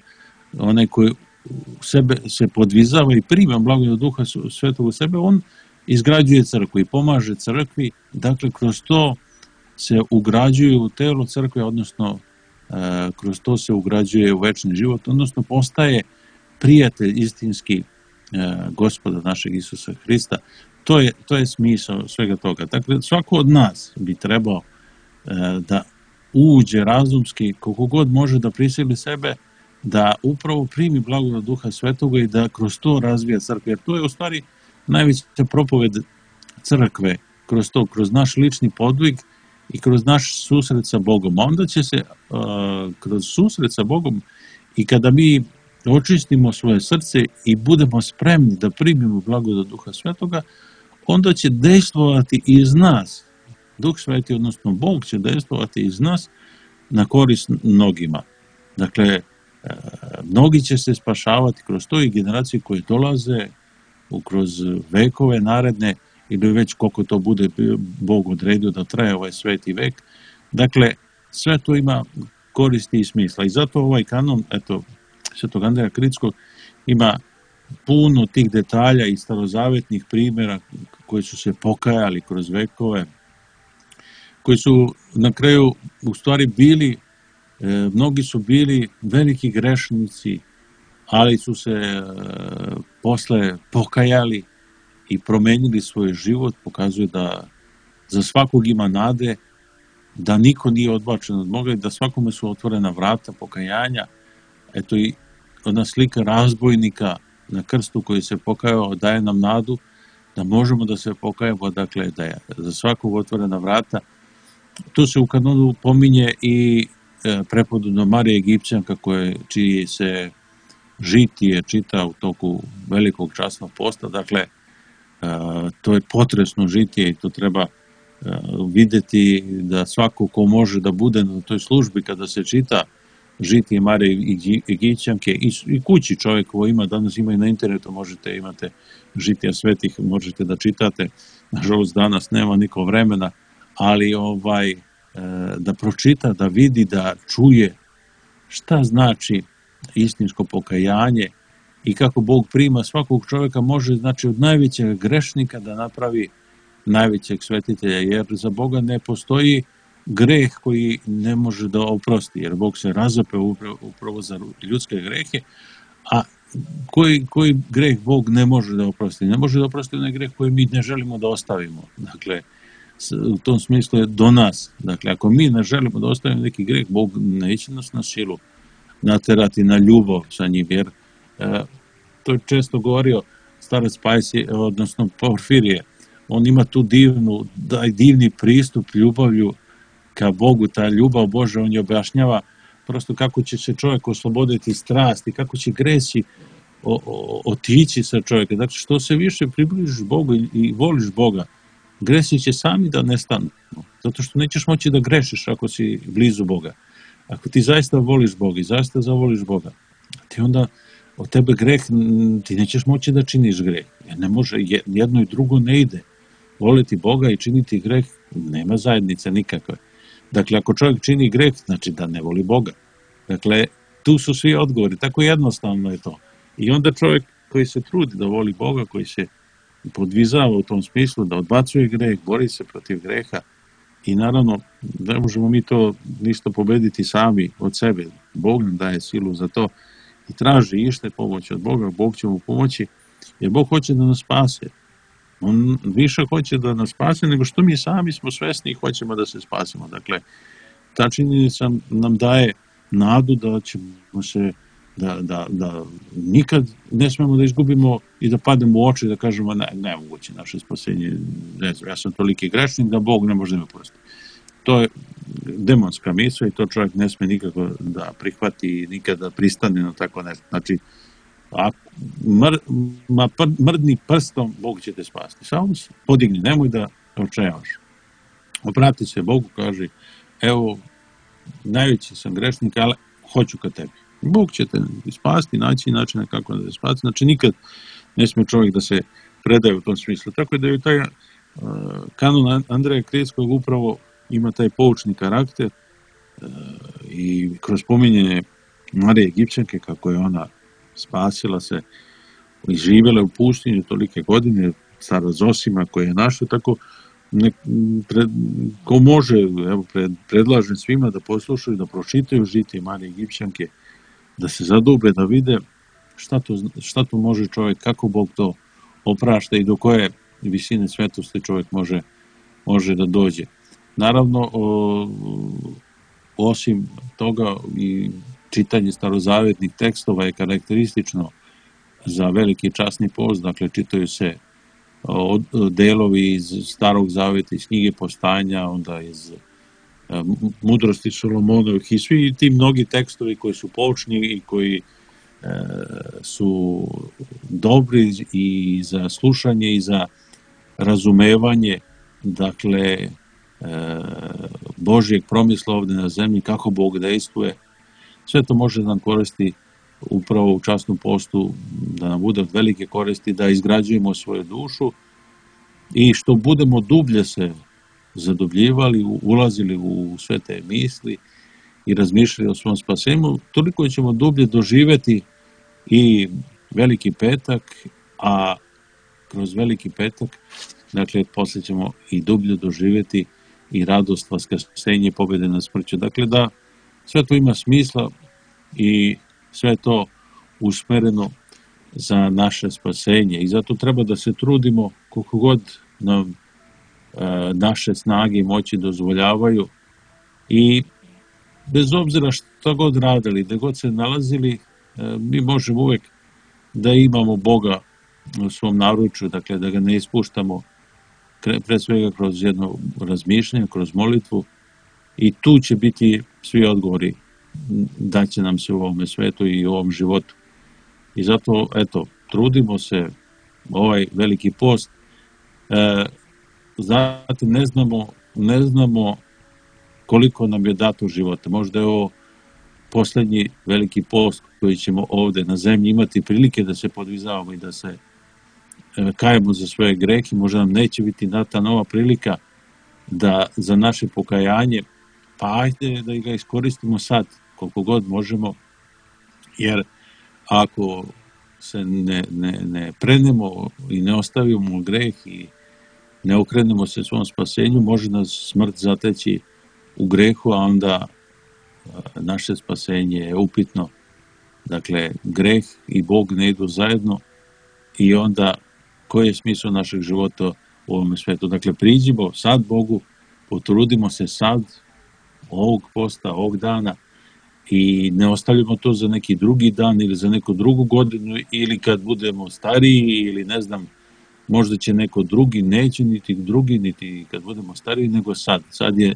onaj koji u sebe se podvizava i prima blagodat Duha Svetoga u sebe, on izgrađuje crkvu i pomaže crkvi, dakle kroz to se ugrađuje u telo crkve, odnosno e, kroz to se ugrađuje u večni život, odnosno postaje prijatelj istinski e, Gospoda našeg Isusa Hrista. To je, to je smisao svega toga. Dakle, svako od nas bi trebao e, da uđe razumski, koliko god može da prisili sebe, da upravo primi blagodat Duha Svetoga i da kroz to razvija crkve. Jer to je u stvari najveća propoved crkve, kroz to, kroz naš lični podvig i kroz naš susret sa Bogom. A onda će se uh, kroz susret sa Bogom i kada mi očistimo svoje srce i budemo spremni da primimo blagodat Duha Svetoga, onda će dejstvovati iz nas. Duh Sveti, odnosno Bog će dejstvovati iz nas na korist mnogima. Dakle, uh, mnogi će se spašavati kroz to i generacije koje dolaze kroz vekove naredne ili već koliko to bude Bog odredio da traje ovaj sveti vek. Dakle, sve to ima koristi i smisla. I zato ovaj kanon, eto, Svetog Andreja Kritskog ima puno tih detalja i starozavetnih primjera koji su se pokajali kroz vekove, koji su na kraju u stvari bili E, mnogi su bili veliki grešnici, ali su se e, posle pokajali i promenili svoj život, pokazuje da za svakog ima nade, da niko nije odbačen od Boga i da svakome su otvorena vrata pokajanja. Eto i ona slika razbojnika na krstu koji se pokajao daje nam nadu da možemo da se pokajemo, dakle da je za svakog otvorena vrata. Tu se u kanonu pominje i e, prepodobna Marija Egipćanka koje, čiji se žitije čita u toku velikog časnog posta, dakle e, to je potresno žitije i to treba e, videti da svako ko može da bude na toj službi kada se čita žitije Marije Egipćanke i, i kući čovjek ko ima, danas ima i na internetu, možete, imate žitija svetih, možete da čitate, nažalost danas nema niko vremena, ali ovaj, da pročita, da vidi, da čuje šta znači istinsko pokajanje i kako Bog prima svakog čovjeka, može znači od najvećeg grešnika da napravi najvećeg svetitelja, jer za Boga ne postoji greh koji ne može da oprosti, jer Bog se razapeo upravo, upravo za ljudske grehe, a koji, koji greh Bog ne može da oprosti? Ne može da oprosti onaj greh koji mi ne želimo da ostavimo. Dakle, u tom smislu je do nas. Dakle, ako mi ne želimo da ostavimo neki greh, Bog neće nas na silu naterati na ljubav sa njim, jer e, to je često govorio starac Pajsi, odnosno Porfirije. On ima tu divnu, daj divni pristup ljubavlju ka Bogu, ta ljubav Božja, on je objašnjava prosto kako će se čovjek osloboditi strasti, kako će gresi o, o, otići sa čovjeka. Dakle, što se više približiš Bogu i, i voliš Boga, gresi će sami da nestanu. Zato što nećeš moći da grešiš ako si blizu Boga. Ako ti zaista voliš Boga i zaista zavoliš Boga, ti onda od tebe greh, ti nećeš moći da činiš greh. Jer ne može, jedno i drugo ne ide. Voliti Boga i činiti greh, nema zajednice nikakve. Dakle, ako čovjek čini greh, znači da ne voli Boga. Dakle, tu su svi odgovori, tako jednostavno je to. I onda čovjek koji se trudi da voli Boga, koji se podvizava u tom smislu, da odbacuje greh, bori se protiv greha i naravno ne možemo mi to ništa pobediti sami od sebe. Bog nam daje silu za to i traži ište pomoć od Boga, Bog će mu pomoći, jer Bog hoće da nas spase. On više hoće da nas spase nego što mi sami smo svesni i hoćemo da se spasimo. Dakle, ta činjenica nam daje nadu da ćemo se, da, da, da nikad ne smemo da izgubimo i da pademo u oči da kažemo ne, nemoguće naše spasenje, ne znam, ja sam toliki grešnik da Bog ne može da me prosti. To je demonska misla i to čovjek ne sme nikako da prihvati i nikada pristane na tako nešto. Znači, a mr, ma pr, mrdni prstom, Bog će te spasti. Samo se podigni, nemoj da očajavaš. Obrati se Bogu, kaže, evo, najveći sam grešnik, ali hoću ka tebi. Bog će te spasti, naći načina kako da te spasti. Znači, nikad ne sme čovjek da se predaje u tom smislu. Tako da je taj uh, kanon Andreja Krijetskog upravo ima taj poučni karakter uh, i kroz pominjanje Marije Egipćanke, kako je ona spasila se i živjela u pustinju tolike godine, stara Zosima koja je našla, tako ne, pred, ko može, evo pred, predlažem svima da poslušaju, da pročitaju žitije Marije Egipćanke, da se zadube, da vide šta to, šta to može čovjek, kako Bog to oprašta i do koje visine svetosti čovjek može, može da dođe. Naravno, o, osim toga i čitanje starozavetnih tekstova je karakteristično za veliki časni post, dakle čitaju se delovi iz Starog zaveta, iz knjige Postanja, onda iz Mudrosti Solomonovih i svi ti mnogi tekstovi koji su poučni i koji e, su dobri i za slušanje i za razumevanje, dakle, e, Božjeg promisla ovdje na zemlji, kako Bog dejstvuje. Sve to može da nam koristi upravo u časnom postu, da nam bude od velike koristi, da izgrađujemo svoju dušu i što budemo dublje se zadubljivali, ulazili u sve te misli i razmišljali o svom spasenju, toliko ćemo dublje doživjeti i Veliki petak, a kroz Veliki petak, dakle, poslije ćemo i dublje doživjeti i radost vaskrsenja i pobjede na smrću. Dakle, da sve to ima smisla i sve to usmereno za naše spasenje. I zato treba da se trudimo koliko god nam e, naše snage i moći dozvoljavaju i bez obzira što god radili, gde god se nalazili, e, mi možemo uvek da imamo Boga u svom naručju, dakle da ga ne ispuštamo pre svega kroz jedno razmišljanje, kroz molitvu i tu će biti svi odgovori da će nam se u ovome svetu i u ovom životu. I zato, eto, trudimo se ovaj veliki post. E, znate, ne znamo, ne znamo koliko nam je dato života. Možda je ovo poslednji veliki post koji ćemo ovde na zemlji imati prilike da se podvizavamo i da se e, kajemo za svoje grehe. Možda nam neće biti data nova prilika da za naše pokajanje, pa ajde da ga iskoristimo sad, koliko god možemo, jer ako se ne, ne, ne prenemo i ne ostavimo greh i ne okrenemo se svom spasenju, može nas smrt zateći u grehu, a onda naše spasenje je upitno. Dakle, greh i Bog ne idu zajedno i onda koji je smisao našeg života u ovom svetu? Dakle, priđimo sad Bogu, potrudimo se sad, ovog posta, ovog dana, i ne ostavljamo to za neki drugi dan ili za neku drugu godinu ili kad budemo stariji ili ne znam, možda će neko drugi, neće niti drugi, niti kad budemo stariji, nego sad. Sad je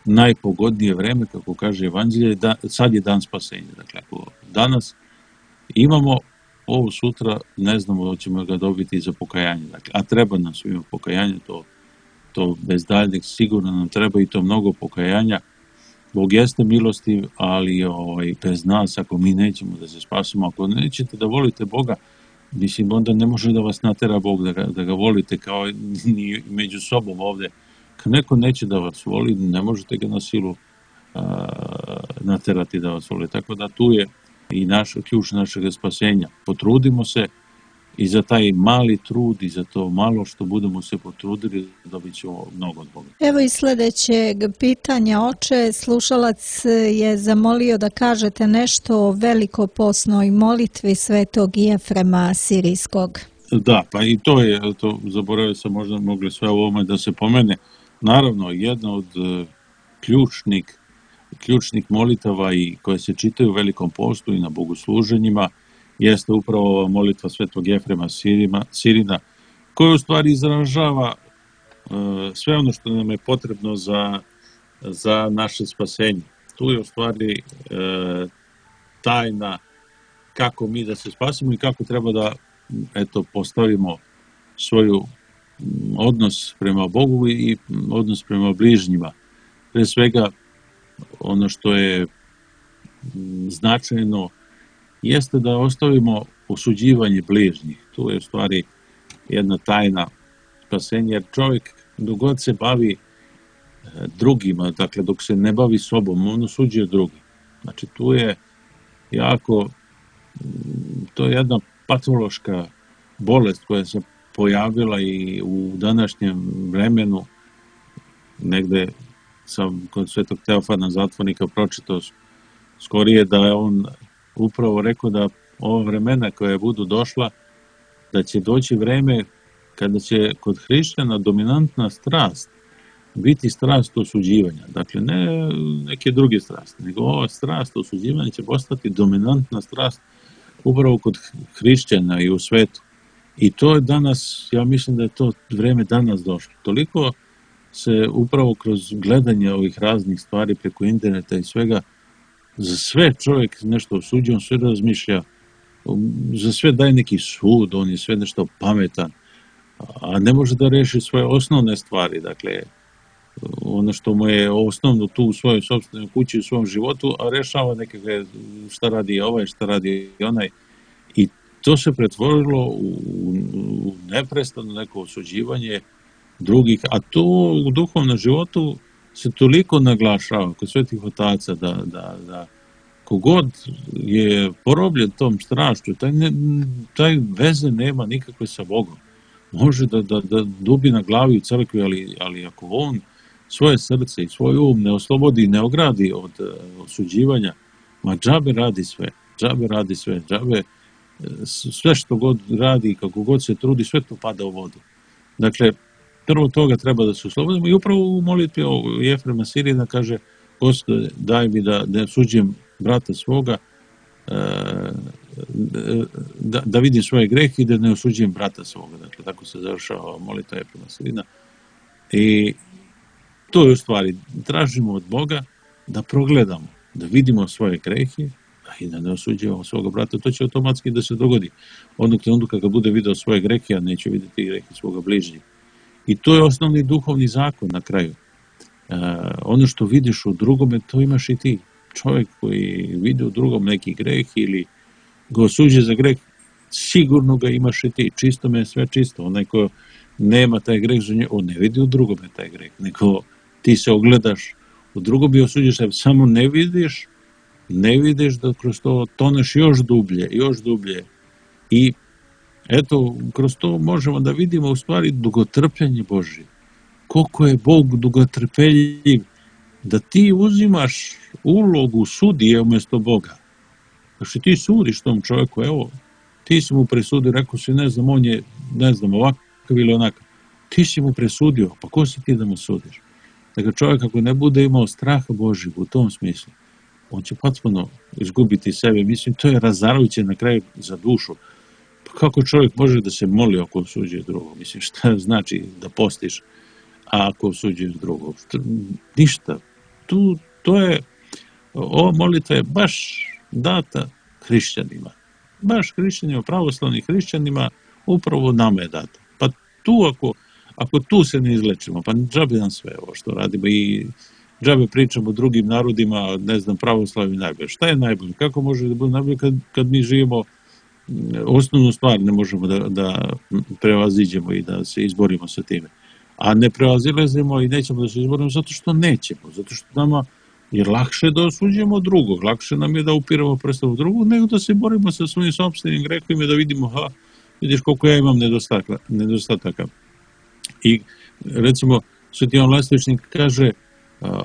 najpogodnije vreme, kako kaže Evanđelje, da, sad je dan spasenja. Dakle, ako danas imamo ovo, sutra ne znamo da ćemo ga dobiti za pokajanje. Dakle, a treba nam svima pokajanje, to, to bez daljnjeg sigurno nam treba i to mnogo pokajanja. Bog jeste milostiv, ali ovaj, bez nas, ako mi nećemo da se spasimo, ako nećete da volite Boga, mislim, onda ne može da vas natera Bog da ga, da ga volite kao ni među sobom ovde. Kad neko neće da vas voli, ne možete ga na silu a, naterati da vas voli. Tako da tu je i naš, ključ našeg spasenja. Potrudimo se i za taj mali trud i za to malo što budemo se potrudili, dobit ćemo mnogo od Boga. Evo i sljedećeg pitanja, oče. Slušalac je zamolio da kažete nešto o velikoposnoj molitvi svetog Jefrema Sirijskog. Da, pa i to je, to zaboravio sam, možda mogli sve u ovome da se pomene. Naravno, jedna od ključnih, ključnih molitava i koje se čitaju u Velikom postu i na bogosluženjima jeste upravo ova molitva svetog Jefrema Sirina, koja u stvari izražava uh, sve ono što nam je potrebno za, za naše spasenje. Tu je u stvari uh, tajna kako mi da se spasimo i kako treba da eto, postavimo svoju odnos prema Bogu i odnos prema bližnjima. Pre svega, ono što je značajno jeste da ostavimo osuđivanje bližnjih. Tu je u stvari jedna tajna spasenja, jer čovjek dok god se bavi drugima, dakle dok se ne bavi sobom, on osuđuje drugi. Znači tu je jako, to je jedna patološka bolest koja se pojavila i u današnjem vremenu. Negde sam kod svetog Teofana Zatvornika pročitao skorije da je on upravo rekao da ova vremena koja budu došla, da će doći vreme kada će kod hrišćana dominantna strast biti strast osuđivanja. Dakle, ne neke druge strasti, nego ova strast osuđivanja će postati dominantna strast upravo kod hrišćana i u svetu. I to je danas, ja mislim da je to vreme danas došlo. Toliko se upravo kroz gledanje ovih raznih stvari preko interneta i svega, za sve čovjek nešto osuđuje, on sve razmišlja, za sve daje neki sud, on je sve nešto pametan, a ne može da reši svoje osnovne stvari, dakle, ono što mu je osnovno tu u svojoj sopstvenoj kući, u svom životu, a rešava nekakve šta radi ovaj, šta radi onaj. I to se pretvorilo u, u neprestano neko osuđivanje drugih, a to u duhovnom životu se toliko naglašava kod svetih otaca da, da, da kogod je porobljen tom strašću, taj, ne, taj veze nema nikakve sa Bogom. Može da, da, da dubi na glavi u crkvi, ali, ali ako on svoje srce i svoj um ne oslobodi, ne ogradi od osuđivanja, ma džabe radi sve, džabe radi sve, džabe sve što god radi, kako god se trudi, sve to pada u vodu. Dakle, prvo toga treba da se oslobodimo i upravo u molitvi Jefrema Sirina kaže: Gospode, daj mi da ne osuđujem brata svoga, da, da vidim svoje grehe i da ne osuđujem brata svoga. Dakle, tako se završava molitva Jefrema Sirina. I to je u stvari, tražimo od Boga da progledamo, da vidimo svoje grehe i da ne osuđujemo svoga brata. To će automatski da se dogodi. Onog trenutka kada bude video svoje grehe, a neće vidjeti grehe svoga bližnjeg. I to je osnovni duhovni zakon na kraju. Uh, ono što vidiš u drugome, to imaš i ti. Čovjek koji vidi u drugom neki greh ili ga osuđuje za greh, sigurno ga imaš i ti. Čisto me je sve čisto. Onaj ko nema taj greh za nje, on ne vidi u drugome taj greh. Nego ti se ogledaš u drugom i osuđuješ se. Samo ne vidiš, ne vidiš da kroz to toneš još dublje, još dublje. I eto, kroz to možemo da vidimo u stvari dugotrpljenje Božje. Koliko je Bog dugotrpeljiv da ti uzimaš ulogu sudije umjesto Boga. Znači ti sudiš tom čovjeku, evo, ti si mu presudio, rekao si, ne znam, on je, ne znam, ovakav ili onakav. Ti si mu presudio, pa ko si ti da mu sudiš? Dakle, čovjek ako ne bude imao straha Božjeg u tom smislu, on će potpuno izgubiti sebe. Mislim, to je razarajuće na kraju za dušu. Pa kako čovjek može da se moli ako osuđuje drugog? Mislim, šta znači da postiš a ako osuđuješ drugog? Ništa. Tu, to je, ova molitva je baš data hrišćanima. Baš hrišćanima, pravoslavnim hrišćanima, upravo nama je data. Pa tu, ako, ako tu se ne izlečimo, pa džabe nam sve ovo što radimo i džabe pričamo drugim narodima, ne znam, pravoslavni najbolje. Šta je najbolje? Kako može da bude najbolje kad, kad mi živimo osnovnu stvar ne možemo da, da prevaziđemo i da se izborimo sa time. A ne prevazilazimo i nećemo da se izborimo zato što nećemo, zato što nama je lakše da osuđujemo drugog, lakše nam je da upiramo prstom u drugog, nego da se borimo sa svojim sopstvenim grehovima i da vidimo, ha, vidiš koliko ja imam nedostataka. nedostataka. I recimo, Sveti Jovan Lestvičnik kaže, a,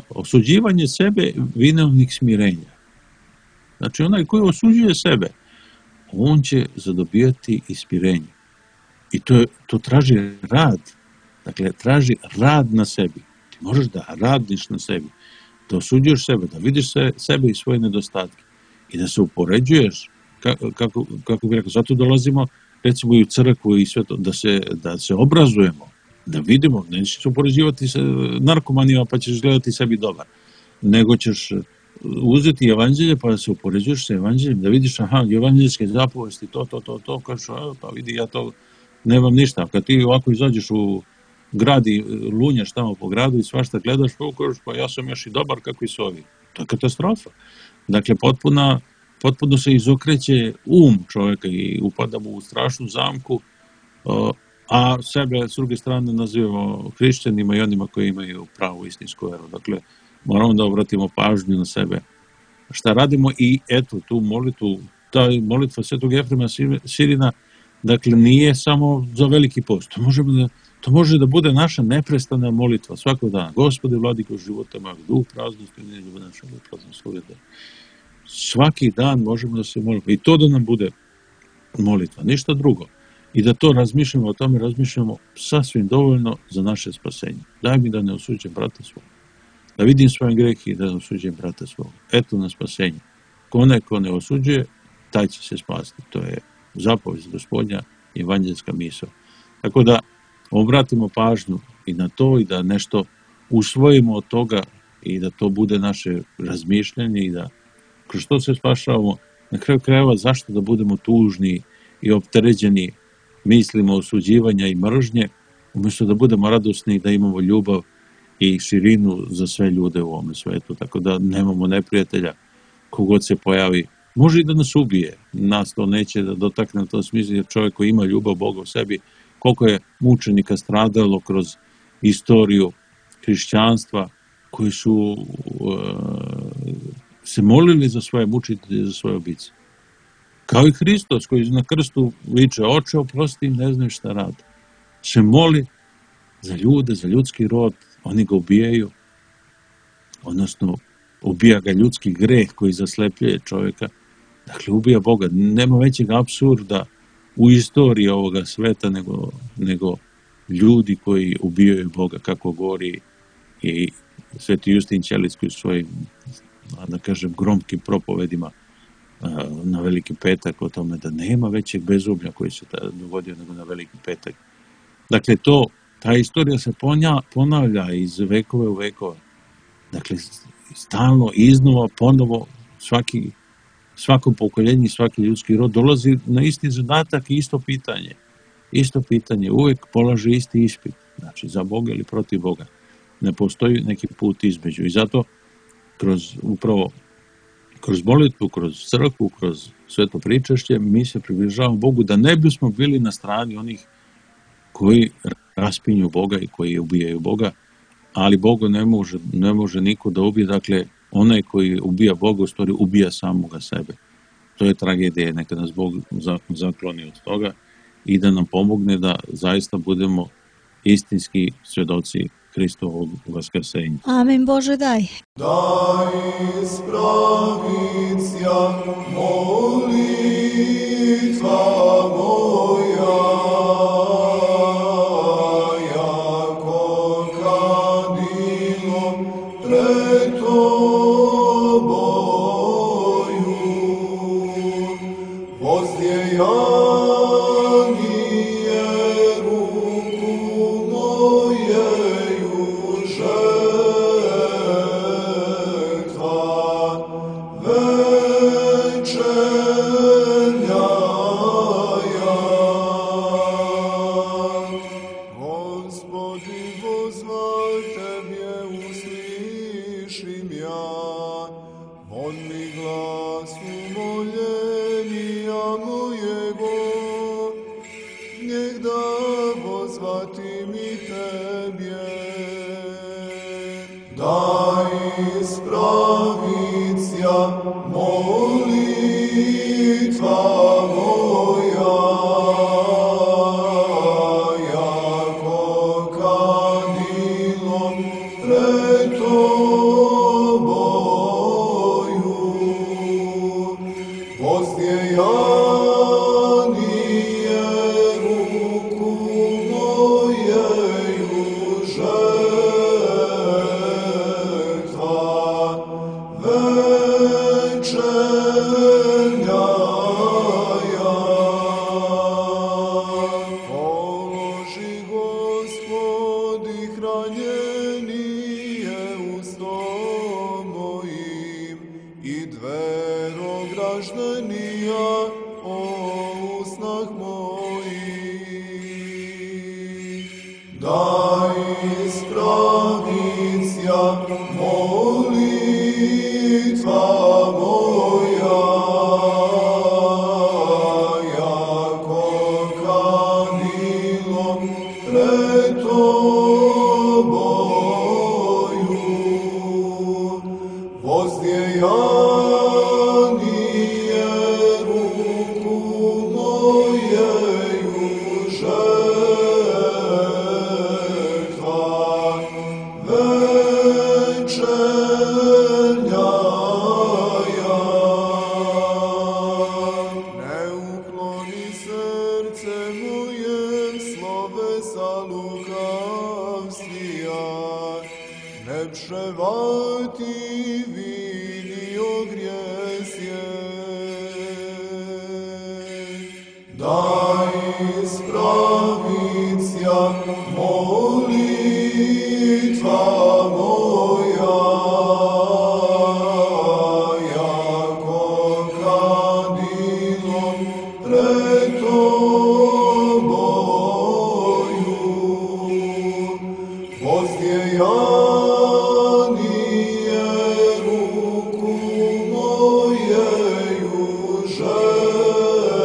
osuđivanje sebe vinovnik smirenja. Znači, onaj koji osuđuje sebe, on će zadobijati ispirenje. I to, je, to traži rad. Dakle, traži rad na sebi. Ti možeš da radiš na sebi, da osuđuješ sebe, da vidiš se, sebe i svoje nedostatke i da se upoređuješ, kako, kako, kako bih rekao, zato dolazimo recimo i u crkvu i sve to, da se, da se obrazujemo, da vidimo, nećeš se upoređivati sa narkomanima pa ćeš gledati sebi dobar, nego ćeš uzeti evanđelje pa da se upoređuješ sa evanđeljem, da vidiš, aha, evanđeljske zapovesti, to, to, to, to, kažeš, pa vidi, ja to nemam ništa. Kad ti ovako izađeš u grad i lunjaš tamo po gradu i svašta gledaš, pa kažeš, pa ja sam još i dobar kako i su ovi. To je katastrofa. Dakle, potpuna, potpuno se izokreće um čovjeka i upadamo u strašnu zamku, a sebe s druge strane nazivamo hrišćanima i onima koji imaju pravu istinsku veru. Dakle, moramo da obratimo pažnju na sebe. Šta radimo i eto tu molitvu, ta molitva Svetog Jefrema Sirina, dakle nije samo za veliki post. To, možemo da, to može da bude naša neprestana molitva svakog dana. Gospode, vladiko života mojeg, duh praznosti, ne ljubav našeg praznog sloveta. Svaki dan možemo da se molimo. I to da nam bude molitva, ništa drugo. I da to razmišljamo, o tome razmišljamo sasvim dovoljno za naše spasenje. Daj mi da ne osuđem brata svoga. Da vidim svoje grehe i da ne osuđujem brata svoga. Eto na spasenje. Ko ko ne osuđuje, taj će se spasti. To je zapovest Gospodnja, evanđelska misao. Tako da obratimo pažnju i na to i da nešto usvojimo od toga i da to bude naše razmišljanje i da kroz to se spašavamo. Na kraju krajeva zašto da budemo tužni i opterećeni mislima osuđivanja i mržnje, umjesto da budemo radosni i da imamo ljubav i širinu za sve ljude u ovom svetu. Tako da nemamo neprijatelja kogod se pojavi. Može i da nas ubije, nas to neće da dotakne na tom smislu, jer čovjek koji ima ljubav Boga u sebi, koliko je mučenika stradalo kroz istoriju hrišćanstva, koji su uh, se molili za svoje mučitelje, za svoje ubice. Kao i Hristos koji na krstu viče, oče oprosti im, ne znaju šta rade. Se moli za ljude, za ljudski rod, oni ga ubijaju, odnosno ubija ga ljudski greh koji zaslepljuje čovjeka. Dakle, ubija Boga. Nema većeg apsurda u istoriji ovoga sveta nego, nego ljudi koji ubijaju Boga, kako govori i Sveti Justin Ćelicki u svojim, da kažem, gromkim propovedima na Veliki petak o tome da nema većeg bezublja koji se dogodio nego na Veliki petak. Dakle, to, ta istorija se ponavlja iz vekove u vekove. Dakle, stalno, iznova, ponovo, svaki, svako pokoljenje, svaki ljudski rod dolazi na isti zadatak i isto pitanje. Isto pitanje, uvijek polaže isti ispit. Znači, za Boga ili protiv Boga. Ne postoji neki put između. I zato, kroz, upravo, kroz molitvu, kroz crkvu, kroz sveto pričašće, mi se približavamo Bogu da ne bismo bili na strani onih koji raspinju Boga i koji ubijaju Boga, ali Boga ne može, ne može niko da ubije, dakle, onaj koji ubija Boga, u stvari ubija samoga sebe. To je tragedija, neka nas Bog zakloni od toga i da nam pomogne da zaista budemo istinski svjedoci Hristovog vaskrsenja. Amin, Bože daj. Daj spravicija molitva moja, jako kadilo pred Tobою, vozdjejanije ruku mojeju žetva, večernja ja. Gospodi, pozvaj Tebje, uslišim ja, on mi glas umoljenja mojego, njeg da pozvati mi Tebje. Daj spravicija molitva moja, jako kadilo pred Tobою, vozdjejanije ruku mojeju žetva, večernja ja. Položi, Gospodi, hranjenije ustom mojim i dvero graždenija o usnah mojih. Daj spravicija molitva moja, jako kadilo pred Tobою, vozdjejanije ruku mojeju žetva, večernja ja. Ne ukloni srce moje slovesa lukavstija, ne pševati vinio grijesje. Daj spravicija molitva moja, jako kadilo pred Tobою, vozdjejanije ruku mojeju žetva,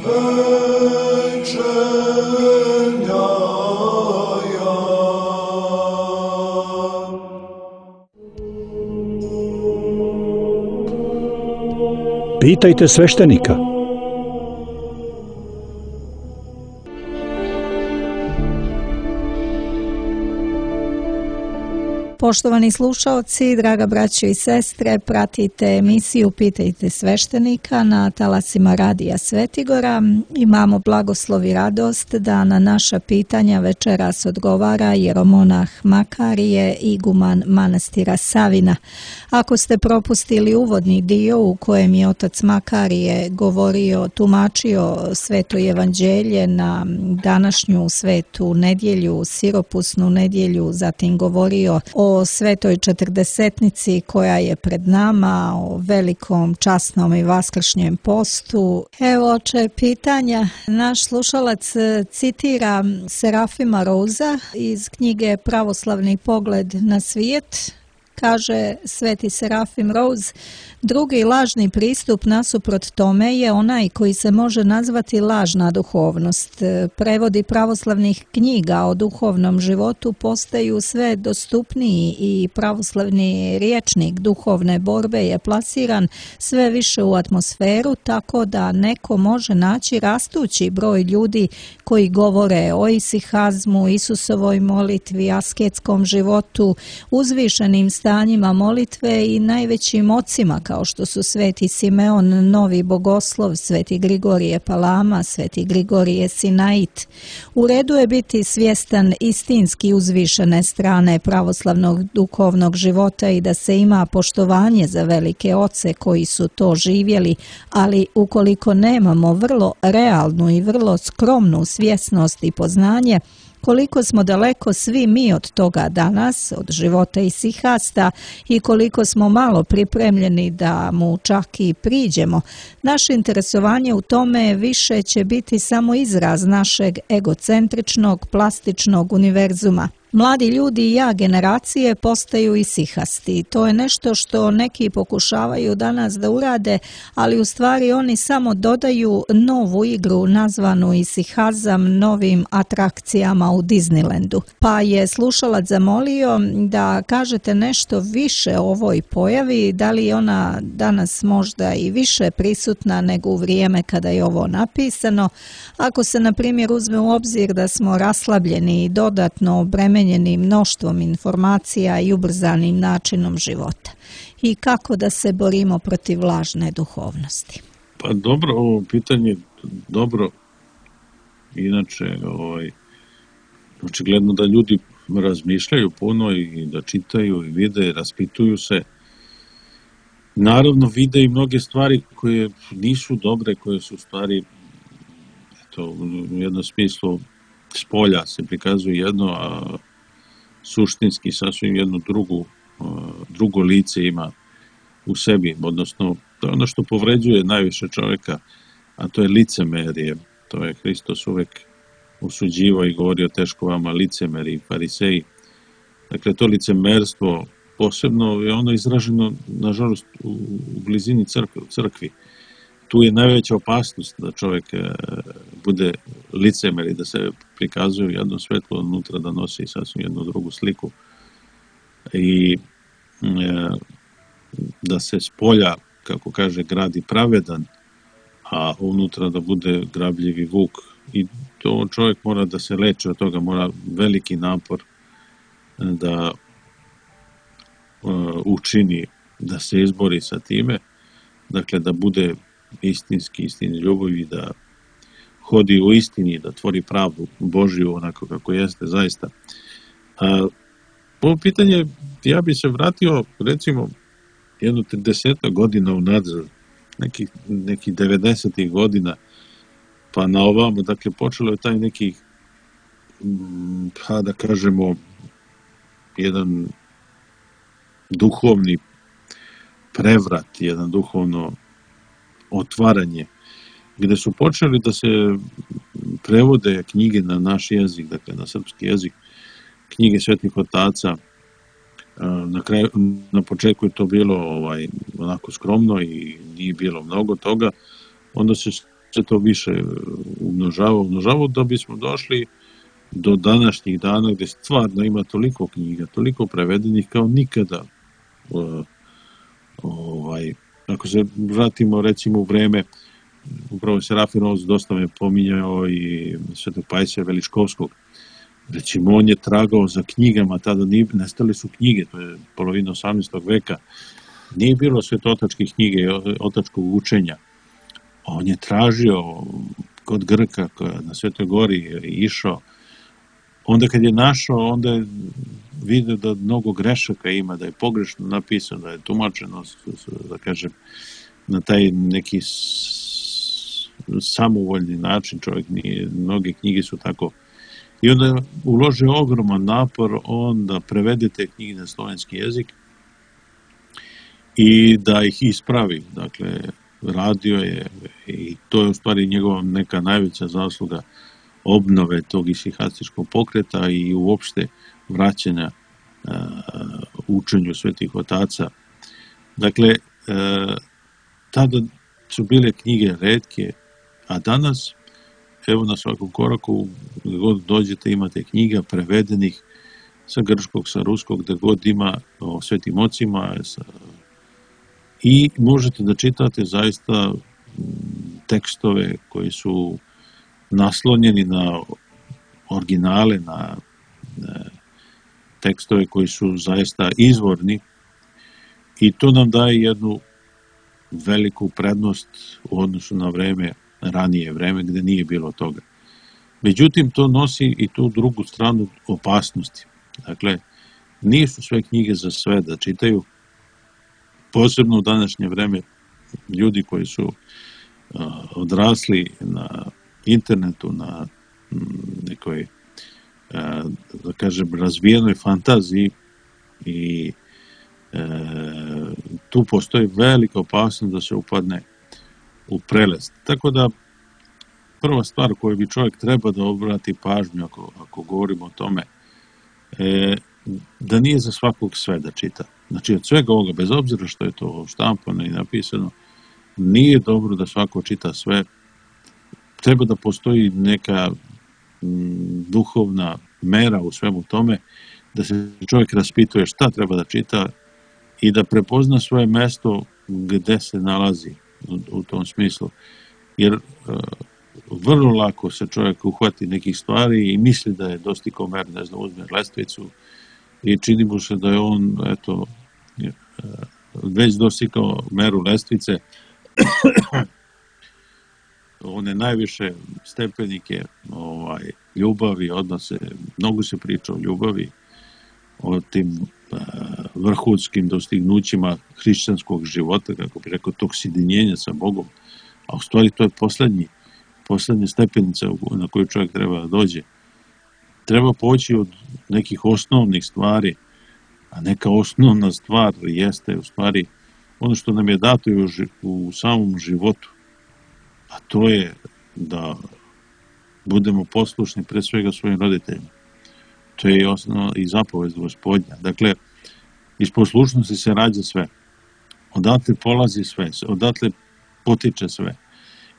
večernja ja. Pitajte sveštenika. Poštovani slušaoci, draga braćo i sestre, pratite emisiju Pitajte sveštenika na talasima Radija Svetigora. Imamo blagoslov i radost da na naša pitanja večeras odgovara jeromonah Makarije, iguman manastira Savina. Ako ste propustili uvodni dio u kojem je otac Makarije govorio, tumačio sveto evanđelje na današnju svetu nedjelju, siropusnu nedjelju, zatim govorio o svetoj četrdesetnici koja je pred nama, o velikom časnom i vaskršnjem postu. Evo oče pitanja. Naš slušalac citira Serafima Rouza iz knjige Pravoslavni pogled na svijet. Kaže sveti Serafim Rouz, drugi lažni pristup nasuprot tome je onaj koji se može nazvati lažna duhovnost. Prevodi pravoslavnih knjiga o duhovnom životu postaju sve dostupniji i pravoslavni rječnik duhovne borbe je plasiran sve više u atmosferu, tako da neko može naći rastući broj ljudi koji govore o isihazmu, Isusovoj molitvi, asketskom životu, uzvišenim stanjima molitve i najvećim ocima kao što su sveti Simeon, Novi Bogoslov, sveti Grigorije Palama, sveti Grigorije Sinait. U redu je biti svjestan istinski uzvišene strane pravoslavnog duhovnog života i da se ima poštovanje za velike oce koji su to živjeli, ali ukoliko nemamo vrlo realnu i vrlo skromnu svjesnost i poznanje, koliko smo daleko svi mi od toga danas, od života isihasta, i koliko smo malo pripremljeni da mu čak i priđemo, naše interesovanje u tome više će biti samo izraz našeg egocentričnog, plastičnog univerzuma. Mladi ljudi i ja generacije postaju isihasti. To je nešto što neki pokušavaju danas da urade, ali u stvari oni samo dodaju novu igru nazvanu isihazam novim atrakcijama u Disneylandu. Pa je slušalac zamolio da kažete nešto više o ovoj pojavi, da li je ona danas možda i više prisutna nego u vrijeme kada je ovo napisano. Ako se na primjer uzme u obzir da smo raslabljeni i dodatno obremenjeni mnoštvom informacija i ubrzanim načinom života. I kako da se borimo protiv lažne duhovnosti? Pa dobro, ovo pitanje dobro. Inače, ovaj, očigledno da ljudi razmišljaju puno i da čitaju i vide i raspituju se. Naravno, vide i mnoge stvari koje nisu dobre, koje su stvari, eto, u jednom smislu spolja se prikazuje jedno, a suštinski sasvim jedno drugu, drugo lice ima u sebi, odnosno to je ono što povređuje najviše čovjeka, a to je licemerje. To je Hristos uvek osuđivao i govorio teško vama licemeri i fariseji. Dakle, to licemerstvo posebno je ono izraženo, nažalost, u blizini crkve, u crkvi. Tu je najveća opasnost da čovjek bude licemer i da se prikazuje jedno svetlo unutra, da nosi sasvim jednu drugu sliku. I da se s polja, kako kaže, gradi pravedan, a unutra da bude grabljivi vuk. I to čovjek mora da se leče od toga, mora veliki napor da učini, da se izbori sa time, dakle da bude istinski, istini ljubavi, da hodi u istini, da tvori pravdu Božju onako kako jeste zaista. A, ovo pitanje, ja bi se vratio recimo jedno trideset godina unazad, nekih, nekih devedesetih godina, pa na ovamo, dakle počelo je taj neki, pa da kažemo, jedan duhovni prevrat, jedan duhovno otvaranje, gde su počeli da se prevode knjige na naš jezik, dakle na srpski jezik, knjige svetih otaca. Na kraju, na početku je to bilo ovaj, onako skromno i nije bilo mnogo toga, onda se, se to više umnožavalo, umnožavalo da bismo došli do današnjih dana gde stvarno ima toliko knjiga, toliko prevedenih kao nikada. Ovaj, ako se vratimo recimo u vreme, upravo Serafim Rouz dosta me pominjao i svetog Pajsija Veliškovskog, Recimo, on je tragao za knjigama, tada nije, nestale su knjige, to je polovina osamnaestog veka, nije bilo svetotačke knjige, otačkog učenja. On je tražio kod Grka, na Svetoj gori je išao. Onda kad je našao, onda je vidio da mnogo grešaka ima, da je pogrešno napisano, da je tumačeno, da kažem, na taj neki samovoljni način, čovjek nije, mnoge knjige su tako. I onda je uložio ogroman napor on da prevede te knjige na slovenski jezik i da ih ispravi. Dakle, radio je i to je u stvari njegova neka najveća zasluga obnove tog isihastičkog pokreta i uopšte vraćanja uh, učenju svetih otaca. Dakle, uh, tada su bile knjige retke, a danas, evo na svakom koraku, gdje god dođete imate knjiga prevedenih sa grčkog, sa ruskog, gdje god ima o svetim ocima sa, i možete da čitate zaista tekstove koji su naslonjeni na originale, na, na tekstove koji su zaista izvorni i to nam daje jednu veliku prednost u odnosu na vreme, ranije vreme gdje nije bilo toga. Međutim, to nosi i tu drugu stranu opasnosti. Dakle, nisu sve knjige za sve da čitaju, posebno u današnje vreme ljudi koji su uh, odrasli na internetu, na nekoj, uh, da kažem, razvijenoj fantaziji i uh, tu postoji velika opasnost da se upadne u prelest. Tako da, prva stvar koju bi čovjek treba da obrati pažnju ako, ako govorimo o tome, je da nije za svakog sve da čita. Znači, od svega ovoga, bez obzira što je to štampano i napisano, nije dobro da svako čita sve. Treba da postoji neka m, duhovna mera u svemu tome, da se čovjek raspituje šta treba da čita i da prepozna svoje mesto gde se nalazi u, u tom smislu. Jer uh, vrlo lako se čovjek uhvati nekih stvari i misli da je dostigao mer, ne znam, uzme lestvicu i čini mu se da je on, eto, već dostigao meru lestvice, one najviše stepenike ovaj, ljubavi, odnose, mnogo se priča o ljubavi, o tim uh, vrhunskim dostignućima hrišćanskog života, kako bi rekao, tog sjedinjenja sa Bogom, a u stvari to je poslednji, poslednja stepenica na koju čovjek treba da dođe. Treba poći od nekih osnovnih stvari, a neka osnovna stvar jeste u stvari ono što nam je dato u, u samom životu, a to je da budemo poslušni pre svega svojim roditeljima. To je i osnovna i zapovest Gospodnja. Dakle, iz poslušnosti se rađa sve. Odatle polazi sve, odatle potiče sve.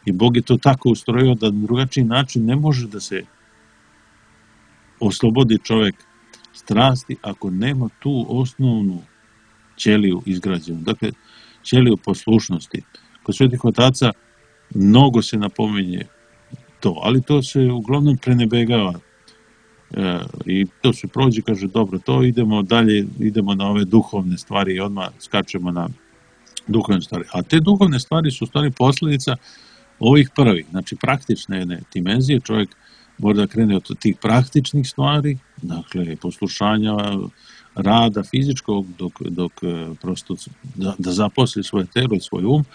I Bog je to tako ustrojio da na drugačiji način ne može da se oslobodi čovjek strasti ako nema tu osnovnu ćeliju izgrađenu. Dakle, ćeliju poslušnosti. Kod svetih otaca mnogo se napominje to, ali to se uglavnom prenebegava. E, I to se prođe, kaže, dobro, to idemo dalje, idemo na ove duhovne stvari i odmah skačemo na duhovne stvari. A te duhovne stvari su u stvari posljedica ovih prvih, znači praktične jedne dimenzije. Čovjek mora da krene od tih praktičnih stvari, dakle, poslušanja, rada fizičkog, dok, dok prosto da, da zaposli svoje telo i svoj um,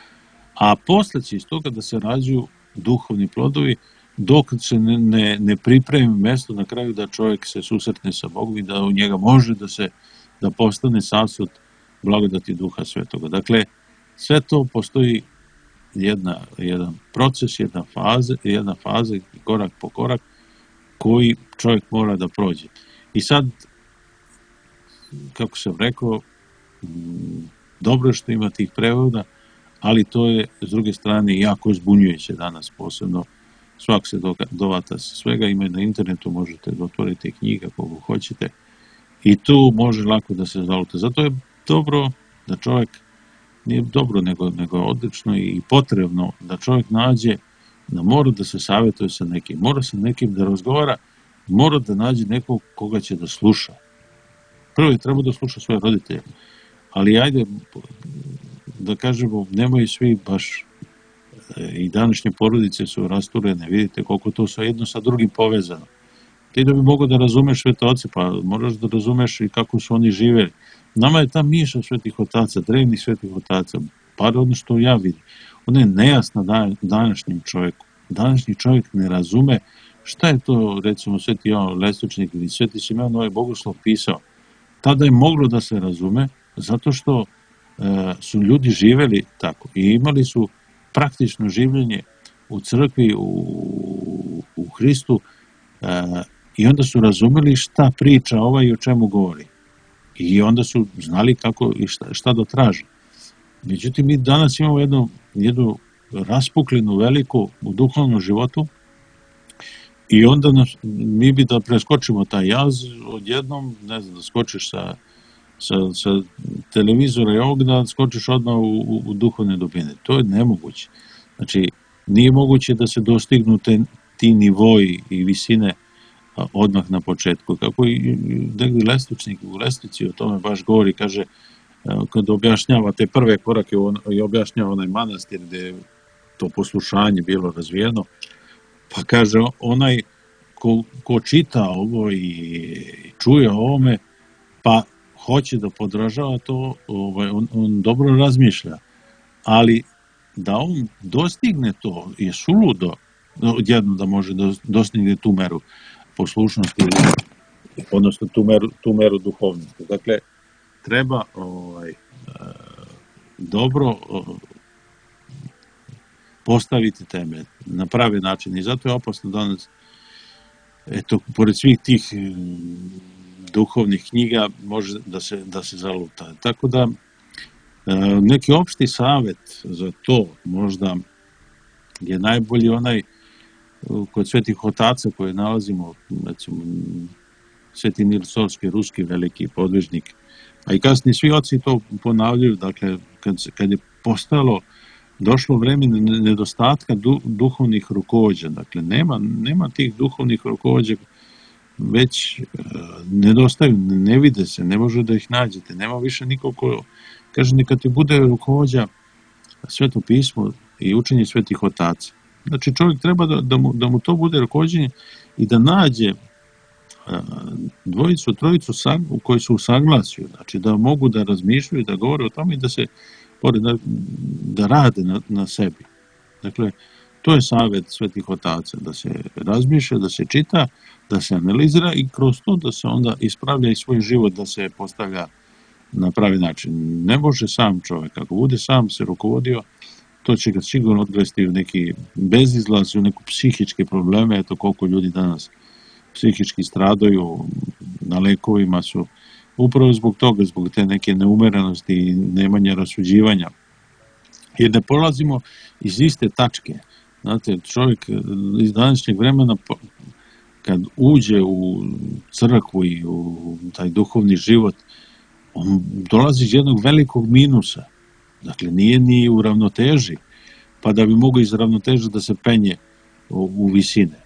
a posle će iz toga da se rađuju duhovni plodovi, dok se ne, ne, ne pripremi mesto na kraju da čovjek se susretne sa Bogom i da u njega može da se da postane sasvod blagodati Duha Svetoga. Dakle, sve to postoji jedna, jedan proces, jedna faza, jedna faza, korak po korak, koji čovjek mora da prođe. I sad, kako sam rekao, dobro je što ima tih prevoda, ali to je, s druge strane, jako zbunjujuće danas, posebno. Svak se dovata sa svega, ima na internetu, možete da otvorite knjiga kogu hoćete i tu može lako da se zalute. Zato je dobro da čovjek, nije dobro, nego, nego odlično i potrebno da čovjek nađe, da mora da se savjetuje sa nekim, mora sa nekim da razgovara mora da nađe nekog koga će da sluša. Prvo je treba da sluša svoje roditelje, ali ajde da kažemo, nemaju svi baš, i današnje porodice su rasturene, vidite koliko to sa jedno sa drugim povezano. Ti da bi mogao da razumeš svete oce, pa moraš da razumeš i kako su oni živeli. Nama je ta miša svetih otaca, drevnih svetih otaca, par ono što ja vidim, ona je nejasna današnjem čovjeku. Današnji čovjek ne razume šta je to, recimo, sveti Jovan Lesničnik ili sveti Simeon ovaj Bogoslov pisao. Tada je moglo da se razume, zato što e, su ljudi živeli tako i imali su praktično življenje u crkvi, u, u Hristu, e, i onda su razumeli šta priča ovaj i o čemu govori. I onda su znali kako i šta, šta da traže. Međutim, mi danas imamo jednu, jednu raspuklinu veliku u duhovnom životu i onda nas, mi bi da preskočimo taj jaz odjednom, ne znam, da skočiš sa, sa, sa televizora i ovog, da skočiš odmah u, u, u duhovne dubine. To je nemoguće. Znači, nije moguće da se dostignu te, ti nivoji i visine odmah na početku. Kako i negdje Lesničnik u Lesnici o tome baš govori, kaže, kad objašnjava te prve korake on, i objašnjava onaj manastir gdje je to poslušanje bilo razvijeno, pa kaže, onaj ko, ko čita ovo i čuje o ovome, pa hoće da podražava to, ovaj, on, on dobro razmišlja, ali da on dostigne to je suludo, odjedno da može da dostigne tu meru poslušnosti, odnosno tu meru, tu meru duhovnosti. Dakle, treba ovaj, dobro postaviti teme na pravi način i zato je opasno danas, eto, pored svih tih duhovnih knjiga može da se, da se zaluta. Tako da, neki opšti savjet za to možda je najbolji onaj kod svetih otaca koje nalazimo, recimo, Sveti Nil Sorski, ruski veliki podvižnik, a i kasnije svi oci to ponavljaju, dakle, kad, kad je postalo, došlo vreme nedostatka du, duhovnih rukovođa, dakle, nema, nema tih duhovnih rukovođa, već uh, nedostaju, ne, ne vide se, ne može da ih nađete, nema više nikog ko, kaže, neka ti bude rukovođa Sveto pismo i učenje svetih otaca. Znači, čovjek treba da, da, mu, da mu to bude rukovođenje i da nađe dvojicu, trojicu u kojoj su u saglasju, znači da mogu da razmišljaju, da govore o tome i da se da, da rade na, na sebi. Dakle, to je savjet svetih otaca, da se razmišlja, da se čita, da se analizira i kroz to da se onda ispravlja i svoj život, da se postavlja na pravi način. Ne može sam čovjek, ako bude sam se rukovodio, to će ga sigurno odvesti u neki bezizlaz, u neku psihičke probleme, eto koliko ljudi danas psihički stradaju, na lekovima su, upravo zbog toga, zbog te neke neumerenosti i nemanja rasuđivanja. Jer ne polazimo iz iste tačke. Znate, čovjek iz današnjeg vremena, kad uđe u crkvu i u taj duhovni život, on dolazi iz jednog velikog minusa. Dakle, nije ni u ravnoteži, pa da bi mogao iz ravnoteže da se penje u, u visine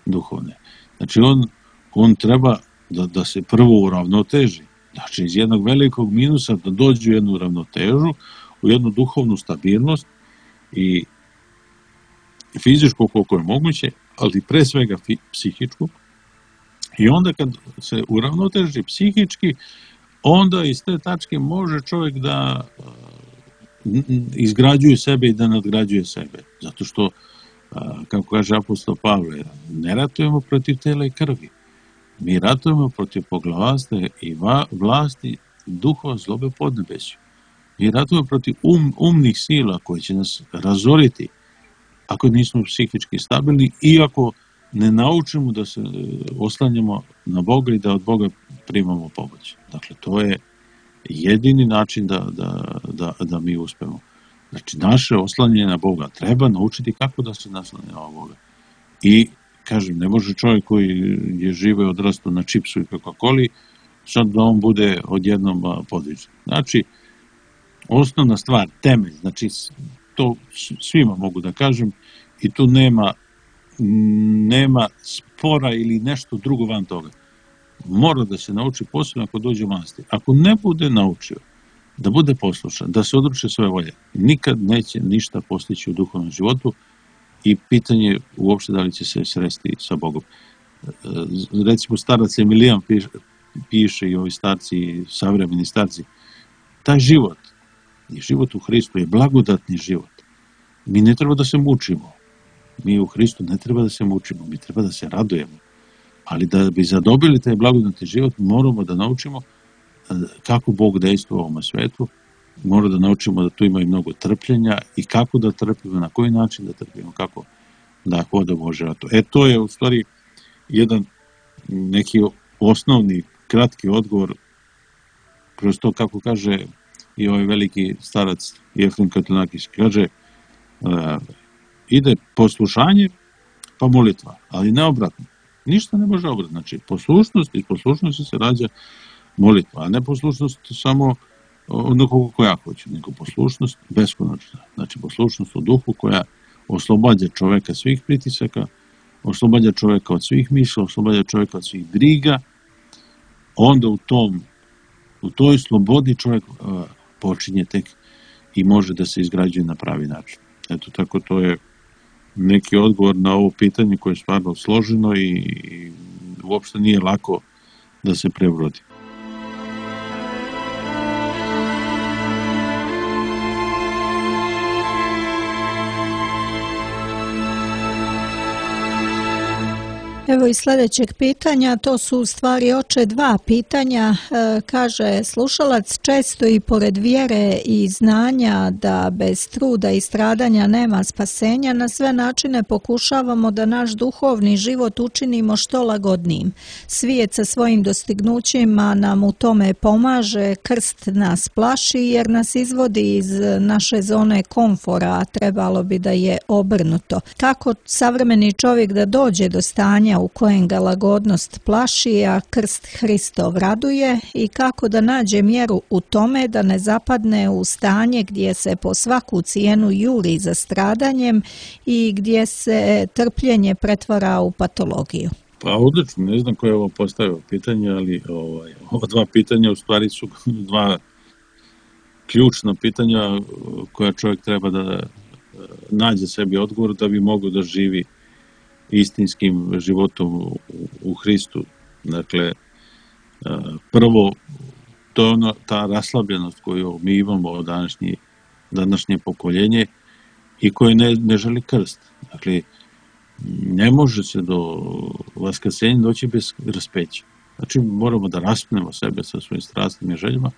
duhovne. Znači, on, on treba da, da se prvo uravnoteži. Znači, iz jednog velikog minusa da dođe u jednu ravnotežu, u jednu duhovnu stabilnost i fizičku koliko je moguće, ali pre svega psihičku. I onda kad se uravnoteži psihički, onda iz te tačke može čovjek da izgrađuje sebe i da nadgrađuje sebe. Zato što, kako kaže apostol Pavle, ne ratujemo protiv tela i krvi. Mi ratujemo protiv poglavarstva i vlasti duhova zlobe podnebeću. Mi ratujemo protiv um, umnih sila koje će nas razoriti ako nismo psihički stabilni i ako ne naučimo da se oslanjamo na Boga i da od Boga primamo pomoć. Dakle, to je jedini način da, da, da, da mi uspemo. Znači, naše oslanjanje na Boga treba naučiti kako da se naslanja na Boga. I, kažem, ne može čovjek koji je žive i odrastao na čipsu i Coca-Coli, sad da on bude odjednom podvižan. Znači, osnovna stvar, temelj, znači, to svima mogu da kažem, i tu nema, nema fora ili nešto drugo van toga. Mora da se nauči posebno ako dođe u manastir. Ako ne bude naučio da bude poslušan, da se odruče svoje volje, nikad neće ništa postići u duhovnom životu i pitanje uopšte da li će se sresti sa Bogom. Recimo starac Emilijan piše, piše i ovi starci, savremeni starci, taj život, život u Hristu je blagodatni život. Mi ne treba da se mučimo. Mi u Hristu ne treba da se mučimo, mi treba da se radujemo. Ali da bi zadobili taj blagodatni život, moramo da naučimo kako Bog dejstvuje u ovom svetu, moramo da naučimo da tu ima i mnogo trpljenja i kako da trpimo, na koji način da trpimo, kako da hodamo u životu. E, to je u stvari jedan neki osnovni, kratki odgovor kroz to, kako kaže i ovaj veliki starac Jefrem Katunakis, kaže uh, ide poslušanje pa molitva, ali ne obratno. Ništa ne može obratno. Znači, poslušnost i poslušnosti se rađa molitva, a ne poslušnost samo onako kako ja hoću, nego poslušnost beskonačna. Znači, poslušnost u duhu koja oslobađa čoveka svih pritisaka, oslobađa čoveka od svih misla, oslobađa čoveka od svih briga, onda u tom, u toj slobodi čovjek uh, počinje tek i može da se izgrađuje na pravi način. Eto, tako to je neki odgovor na ovo pitanje koje je stvarno složeno i, i uopšte nije lako da se prebrodi. Evo i sljedećeg pitanja, to su u stvari oče dva pitanja. E, kaže slušalac, često i pored vjere i znanja da bez truda i stradanja nema spasenja, na sve načine pokušavamo da naš duhovni život učinimo što lagodnijim. Svijet sa svojim dostignućima nam u tome pomaže, krst nas plaši jer nas izvodi iz naše zone komfora, a trebalo bi da je obrnuto. Kako savremeni čovjek da dođe do stanja u kojem ga lagodnost plaši, a krst Hristov raduje, i kako da nađe mjeru u tome da ne zapadne u stanje gdje se po svaku cijenu juri za stradanjem i gdje se trpljenje pretvara u patologiju? Pa odlično, ne znam ko je ovo postavio pitanje, ali ovaj, ova dva pitanja u stvari su dva ključna pitanja koja čovjek treba da nađe sebi odgovor da bi mogao da živi istinskim životom u Hristu. Dakle, prvo, to je ono, ta raslabljenost koju mi imamo od današnje, današnje pokoljenje i koje ne, ne želi krst. Dakle, ne može se do vaskrsenja doći bez raspeća. Znači, moramo da raspnemo sebe sa svojim strastima i željama,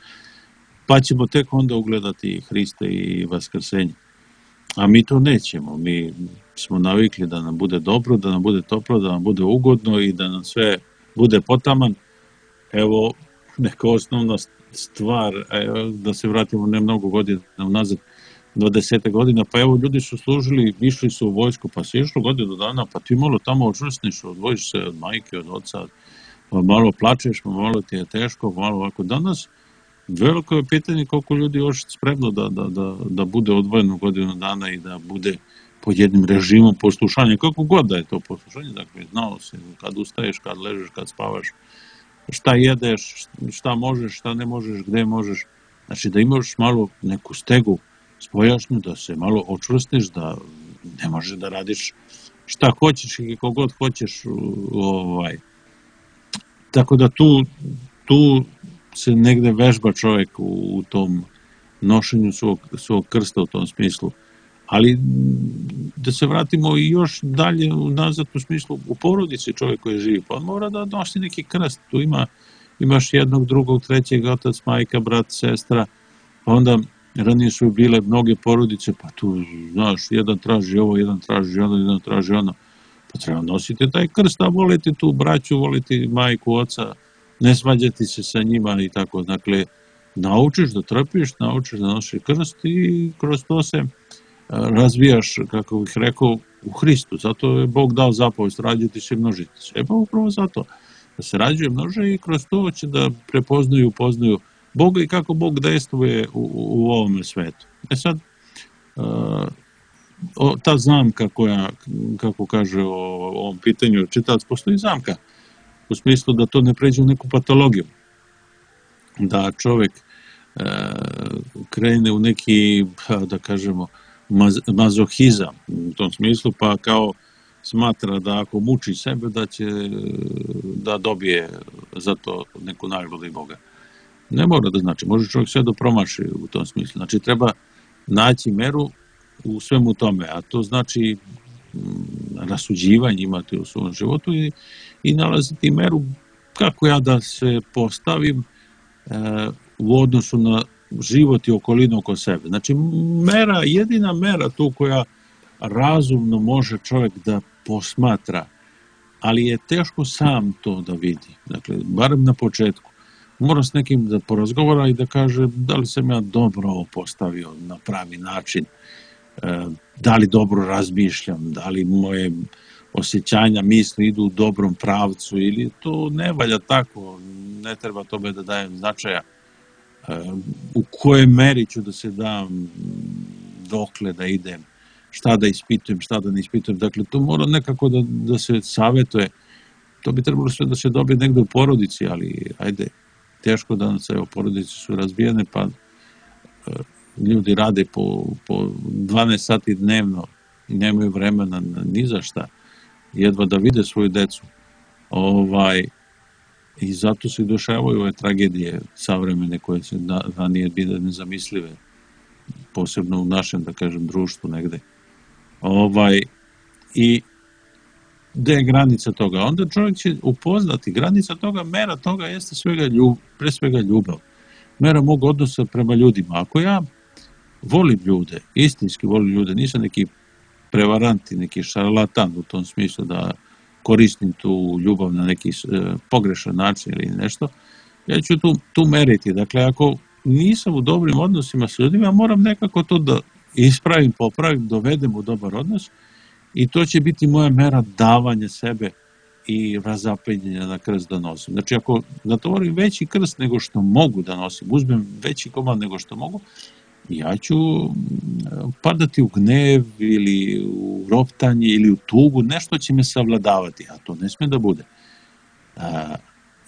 pa ćemo tek onda ugledati Hrista i vaskrsenje. A mi to nećemo. Mi smo navikli da nam bude dobro, da nam bude toplo, da nam bude ugodno i da nam sve bude potaman. Evo, neka osnovna stvar, da se vratimo ne mnogo godina unazad, do desete godina, pa evo, ljudi su služili, išli su u vojsku, pa se išlo godinu dana, pa ti malo tamo očvrsniš, odvojiš se od majke, od oca, pa malo plačeš, pa malo ti je teško, malo ovako. Danas veliko je pitanje koliko ljudi još spremno da, da, da, da bude odvojeno godinu dana i da bude pod jednim režimom poslušanja, kako god da je to poslušanje, dakle, znao se kad ustaješ, kad ležeš, kad spavaš, šta jedeš, šta možeš, šta ne možeš, gde možeš, znači da imaš malo neku stegu spojašnju, da se malo očvrstiš, da ne možeš da radiš šta hoćeš i kogod hoćeš, ovaj. Tako da tu, tu se negde vežba čovjek u, u tom nošenju svog, svog krsta u tom smislu. Ali da se vratimo i još dalje nazad u smislu u porodici čovjek koji živi, pa on mora da nosi neki krst. Tu ima, imaš jednog, drugog, trećeg, otac, majka, brat, sestra, pa onda ranije su bile mnoge porodice, pa tu, znaš, jedan traži ovo, jedan traži ono, jedan traži ono, pa treba nositi taj krst, a voliti tu braću, voliti majku, oca, ne svađati se sa njima i tako. Dakle, naučiš da trpiš, naučiš da nosiš krst i kroz to se razvijaš, kako bih rekao, u Hristu. Zato je Bog dao zapovest, rađati se i množiti se. E pa upravo zato da se rađuje, množe i kroz to će da prepoznaju, upoznaju Boga i kako Bog dejstvuje u, u ovom svetu. E sad, o, ta zamka koja, kako kaže o, o ovom pitanju čitalac, postoji zamka u smislu da to ne pređe u neku patologiju. Da čovjek e, krene u neki, da kažemo, maz, mazohizam u tom smislu, pa kao smatra da ako muči sebe da će da dobije za to neku nagradu i Boga. Ne mora da znači, može čovjek sve da promaši u tom smislu. Znači treba naći meru u svemu tome, a to znači m, rasuđivanje imati u svom životu i, i nalaziti meru kako ja da se postavim e, u odnosu na život i okolinu oko sebe. Znači mera, jedina mera tu koja razumno može čovjek da posmatra, ali je teško sam to da vidi. Dakle, barem na početku. Mora s nekim da porazgovara i da kaže da li sam ja dobro ovo postavio na pravi način, da li dobro razmišljam, da li moje osjećanja, misli idu u dobrom pravcu ili to ne valja tako, ne treba tome da dajem značaja. U kojoj meri ću da se dam, dokle da idem, šta da ispitujem, šta da ne ispitujem. Dakle, to mora nekako da, da se savjetuje. To bi trebalo sve da se dobije negde u porodici, ali ajde, teško danas, evo, porodice su razbijene, pa e, ljudi rade po, po dvanaest sati dnevno i nemaju vremena ni za šta, jedva da vide svoju decu. Ovaj, I zato se dešavaju ove tragedije savremene koje se ranije bile nezamislive, posebno u našem, da kažem, društvu negde. Ovaj, I gde je granica toga? Onda čovjek će upoznati, granica toga, mera toga jeste svega ljub, pre svega ljubav. Mera mog odnosa prema ljudima. Ako ja volim ljude, istinski volim ljude, nisam neki prevaranti, neki šarlatan u tom smislu da koristim tu ljubav na neki e, pogrešan način ili nešto, ja ću tu, tu meriti. Dakle, ako nisam u dobrim odnosima s ljudima, moram nekako to da ispravim, popravim, dovedem u dobar odnos i to će biti moja mera davanja sebe i razapenjenja na krst da nosim. Znači, ako natovorim veći krst nego što mogu da nosim, uzmem veći komad nego što mogu, ja ću padati u gnev ili u roptanje ili u tugu, nešto će me savladavati, a to ne sme da bude.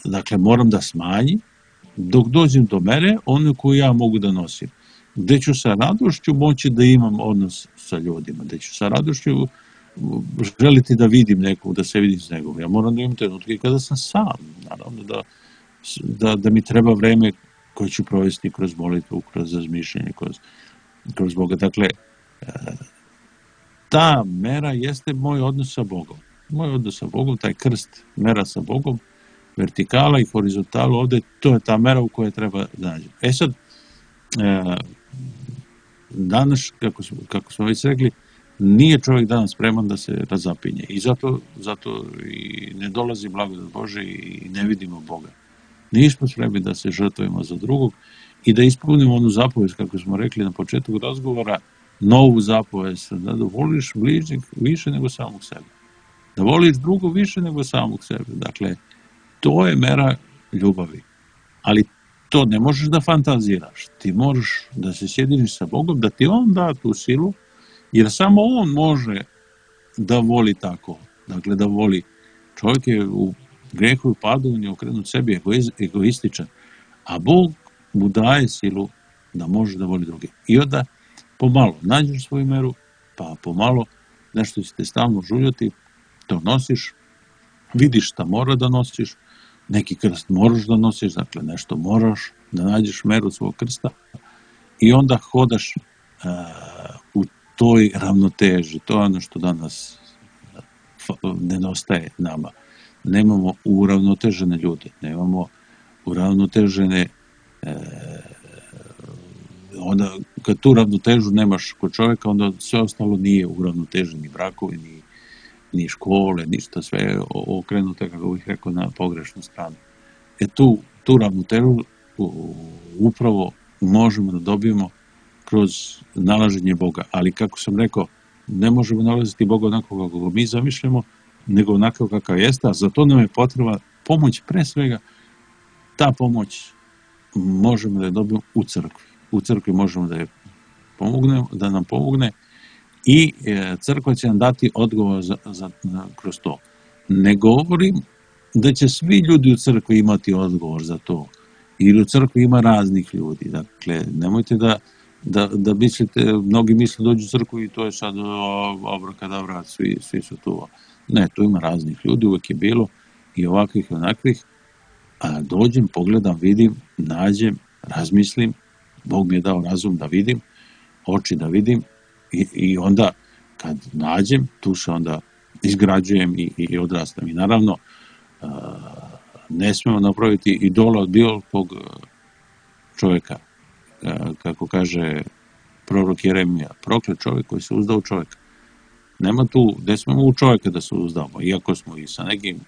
Dakle, moram da smanjim dok dođem do mere ono koju ja mogu da nosim. Gde ću sa radošću moći da imam odnos sa ljudima, gde ću sa radošću želiti da vidim nekog, da se vidim s nekom. Ja moram da imam trenutke kada sam sam, naravno da, da, da mi treba vreme koje ću provesti kroz molitvu, kroz razmišljanje, kroz, kroz Boga. Dakle, ta mera jeste moj odnos sa Bogom. Moj odnos sa Bogom, taj krst, mera sa Bogom, vertikala i horizontala, ovde to je ta mera u kojoj treba da nađem. E sad, danas, kako smo, kako smo već rekli, nije čovjek danas spreman da se razapinje i zato, zato i ne dolazi blagodat Bože i ne vidimo Boga. Nismo spremni da se žrtvujemo za drugog i da ispunimo onu zapovest, kako smo rekli na početku razgovora, novu zapovest, da voliš bližnjeg više nego samog sebe. Da voliš drugog više nego samog sebe. Dakle, to je mera ljubavi. Ali to ne možeš da fantaziraš. Ti moraš da se sjediniš sa Bogom, da ti On da tu silu, jer samo On može da voli tako. Dakle, da voli. Čovjek je u grehu i padu, on je okrenut sebi, egoističan. A Bog mu daje silu da može da voli druge. I onda pomalo nađeš svoju meru, pa pomalo nešto će te stalno žuljati, to nosiš, vidiš šta mora da nosiš, neki krst moraš da nosiš, dakle nešto moraš da nađeš meru svog krsta i onda hodaš uh, u toj ravnoteži. To je ono što danas nedostaje nama. Nemamo uravnotežene ljude, nemamo uravnotežene e, onda kad tu ravnotežu nemaš kod čovjeka, onda sve ostalo nije uravnoteženi brakovi, ni, ni škole, ništa, sve je okrenuto, kako bih rekao, na pogrešnu stranu. E tu, tu ravnotežu upravo možemo da dobijemo kroz nalaženje Boga, ali kako sam rekao, ne možemo nalaziti Boga onako kako mi zamišljamo, nego onako kakav jeste, a za to nam je potreba pomoć, pre svega ta pomoć možemo da je dobijemo u crkvi. U crkvi možemo da je pomogne, da nam pomogne i e, crkva će nam dati odgovor za, za, na, kroz to. Ne govorim da će svi ljudi u crkvi imati odgovor za to, ili u crkvi ima raznih ljudi. Dakle, nemojte da, da, da mislite, mnogi misle dođu u crkvu i to je sad abrakadabra, svi, svi su tu. Ne, tu ima raznih ljudi, uvek je bilo i ovakvih i onakvih, a dođem, pogledam, vidim, nađem, razmislim, Bog mi je dao razum da vidim, oči da vidim i, i onda kad nađem, tu se onda izgrađujem i, i odrastam. I naravno, ne smemo napraviti idola od bilo kog čovjeka. Kako kaže prorok Jeremija, proklet čovjek koji se uzda u čovjeka. Nema tu, ne smemo u čovjeka da se uzdamo, iako smo i sa nekim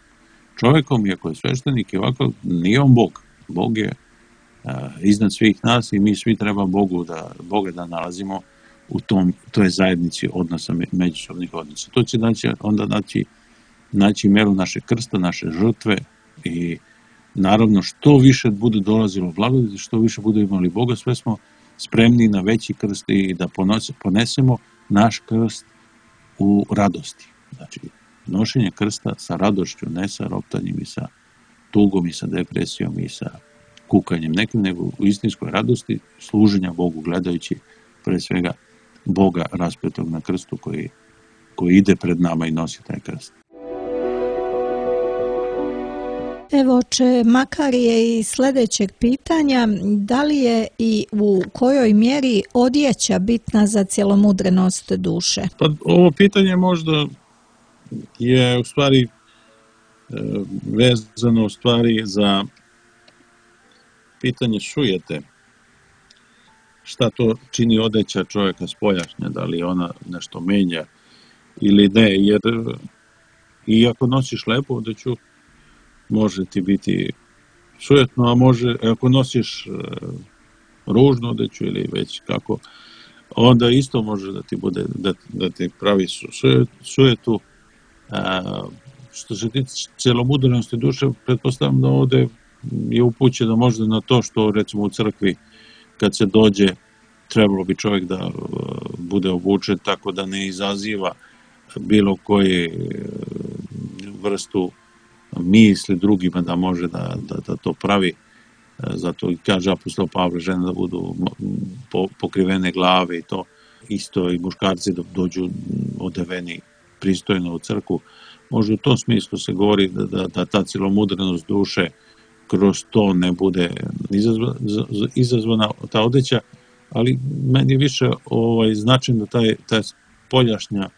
čovjekom, iako je sveštenik i ovako, nije on Bog. Bog je a, iznad svih nas i mi svi treba Bogu da, Boga da nalazimo u tom, toj zajednici odnosa, međusobnih odnosa. To će znači, onda naći, naći meru naše krsta, naše žrtve i naravno što više bude dolazilo blagodati, što više bude imali Boga, sve smo spremni na veći krst i da ponesemo naš krst u radosti. Znači, nošenje krsta sa radošću, ne sa roptanjem i sa tugom i sa depresijom i sa kukanjem nekim, nego u istinskoj radosti služenja Bogu, gledajući pre svega Boga raspetog na krstu koji, koji ide pred nama i nosi taj krst. Evo, oče, makar je i sljedećeg pitanja, da li je i u kojoj mjeri odjeća bitna za cjelomudrenost duše? Pa ovo pitanje možda je u stvari vezano u stvari za pitanje sujete. Šta to čini odeća čovjeka spoljašnja, da li ona nešto menja ili ne, jer i ako nosiš lepu odeću, može ti biti sujetno, a može, ako nosiš ružnu odeću ili već kako, onda isto može da ti bude, da, da ti pravi sujet, sujetu. A, što se tiče cjelomudrenosti duše, pretpostavljam da ovdje je upućeno možda na to što recimo u crkvi kad se dođe, trebalo bi čovjek da bude obučen tako da ne izaziva bilo koji vrstu misli drugima da može da, da, da to pravi. Zato i kaže apostol Pavle, žene da budu pokrivene glave i to. Isto i muškarci da dođu odeveni pristojno u crkvu. Možda u tom smislu se govori da, da, da ta cjelomudrenost duše kroz to ne bude izazvana, izazvana ta odeća, ali meni je više ovaj, značajno da taj, taj spoljašnja,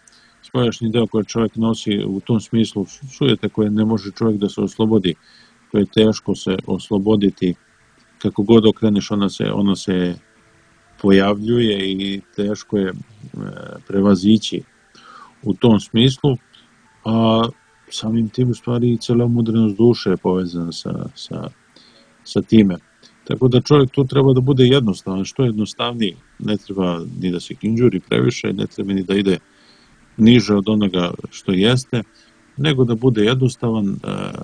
spoljašnji deo koji čovjek nosi u tom smislu sujete koje ne može čovjek da se oslobodi, koje je teško se osloboditi, kako god okreneš ona se, ona se pojavljuje i teško je prevazići u tom smislu, a samim tim u stvari i cjelomudrenost duše je povezana sa, sa, sa time. Tako da čovjek tu treba da bude jednostavan, što jednostavniji, ne treba ni da se kinđuri previše, ne treba ni da ide niže od onoga što jeste, nego da bude jednostavan,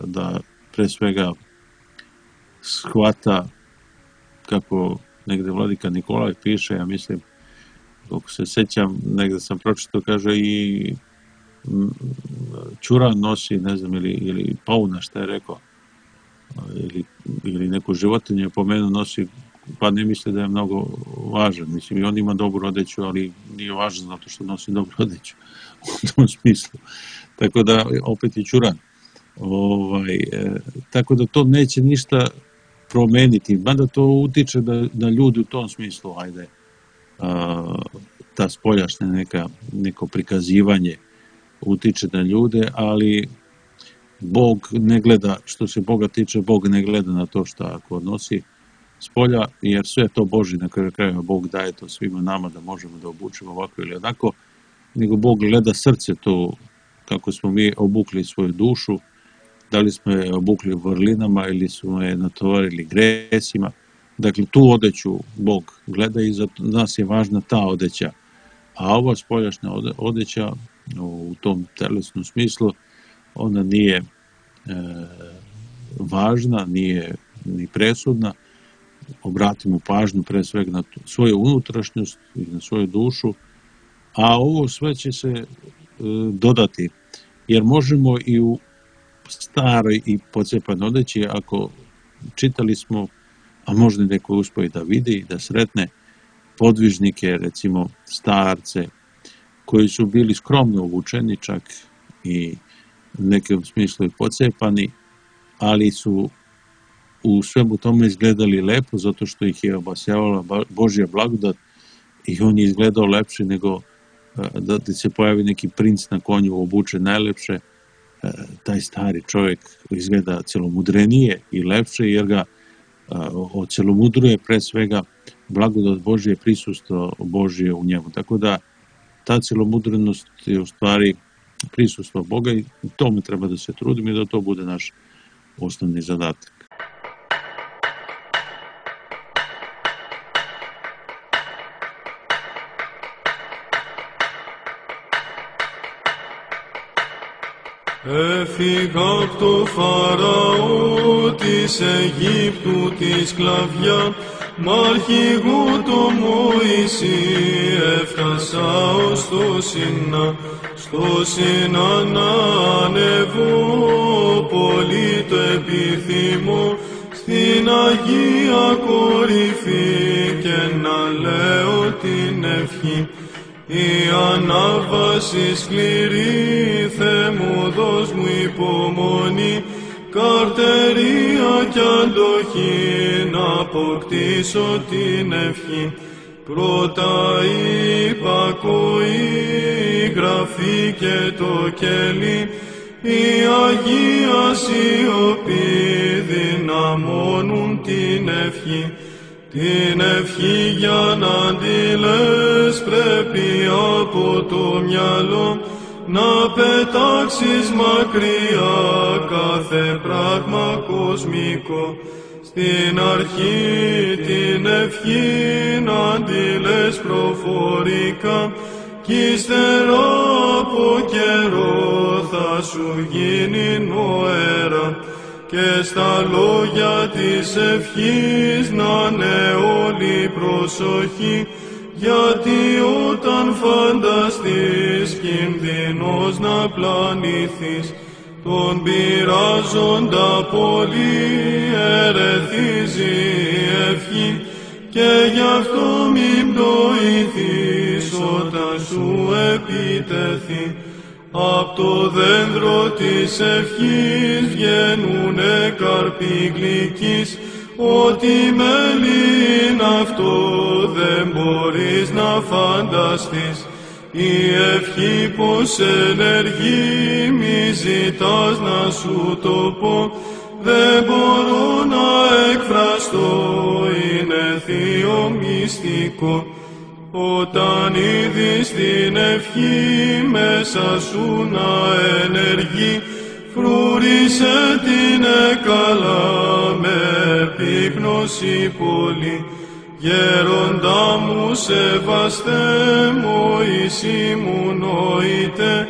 da pre svega shvata, kako negde vladika Nikolaj piše, ja mislim, kako se sećam, negde sam pročitao, kaže i ćuran nosi, ne znam, ili, ili pauna, šta je rekao, ili, ili neku životinju je pomenuo, nosi, pa ne misli da je mnogo važan. Mislim, i on ima dobru odeću, ali nije važan zato što nosi dobru odeću u tom smislu. Tako da, opet je ćuran. Ovaj, e, tako da to neće ništa promeniti, mada to utiče da, da ljudi u tom smislu, ajde, a, ta spoljašnja neka, neko prikazivanje utiče na ljude, ali Bog ne gleda, što se Boga tiče, Bog ne gleda na to što ako nosi spolja, jer sve to Božje, na kraju krajeva Bog daje to svima nama da možemo da obučemo ovako ili onako, nego Bog gleda srce to, kako smo mi obukli svoju dušu, da li smo je obukli vrlinama ili smo je natovarili gresima. Dakle, tu odeću Bog gleda i za nas je važna ta odeća. A ova spoljašnja odeća u tom telesnom smislu, ona nije e, važna, nije ni presudna. Obratimo pažnju pre svega na svoju unutrašnjost i na svoju dušu, a ovo sve će se e, dodati, jer možemo i u staroj i pocepanoj odeći, ako čitali smo, a možda neko uspije da vidi, da sretne podvižnike, recimo starce, koji su bili skromno obučeni čak i u nekom smislu i pocepani, ali su u svemu tome izgledali lepo, zato što ih je obasjavala Božja blagodat i on je izgledao lepše nego da se pojavi neki princ na konju obučen najlepše. Taj stari čovjek izgleda celomudrenije i lepše, jer ga ocelomudruje pre svega blagodat Božje, prisustvo Božje u njemu. Tako da ta celomudrenost je u stvari prisustvo Boga i tome treba da se trudimo i da to bude naš osnovni zadatak. Έφυγα απ' το Φαραώ της Αιγύπτου τη σκλαβιά, μ' αρχηγό το Μωυσή έφτασα ως το Σινά. Στο Σινά να ανεβώ, πολύ το επιθυμώ, στην Αγία κορυφή και να λέω την ευχή. Η ανάβαση σκληρή, Θεέ μου δώσ' μου υπομονή, καρτερία κι αντοχή, να αποκτήσω την ευχή. Πρώτα η υπακοή, η γραφή και το κελί, η Αγία σιωπή δυναμώνουν την ευχή. Την ευχή για να τη λες πρέπει από το μυαλό να πετάξεις μακριά κάθε πράγμα κοσμικό. Στην αρχή την ευχή να τη λες προφορικά κι ύστερα από καιρό θα σου γίνει νοέρα. Και στα λόγια της ευχής να είναι όλη προσοχή, γιατί όταν φανταστείς κινδυνός να πλανηθείς, τον πειράζοντα πολύ ερεθίζει η ευχή, και γι' αυτό μην πτωηθείς όταν σου επιτεθεί. Απ' το δέντρο της ευχής βγαίνουνε καρποί γλυκείς, ό,τι μέλι είναι αυτό δεν μπορείς να φανταστείς. Η ευχή πως ενεργεί, μη ζητάς να σου το πω, δεν μπορώ να εκφραστώ, είναι θείο μυστικό. Όταν είδεις την ευχή μέσα σου να ενεργεί, φρούρισε την καλά με επίγνωση πολύ. Γέροντα μου σεβαστέ, Μωυσή μου νοείται,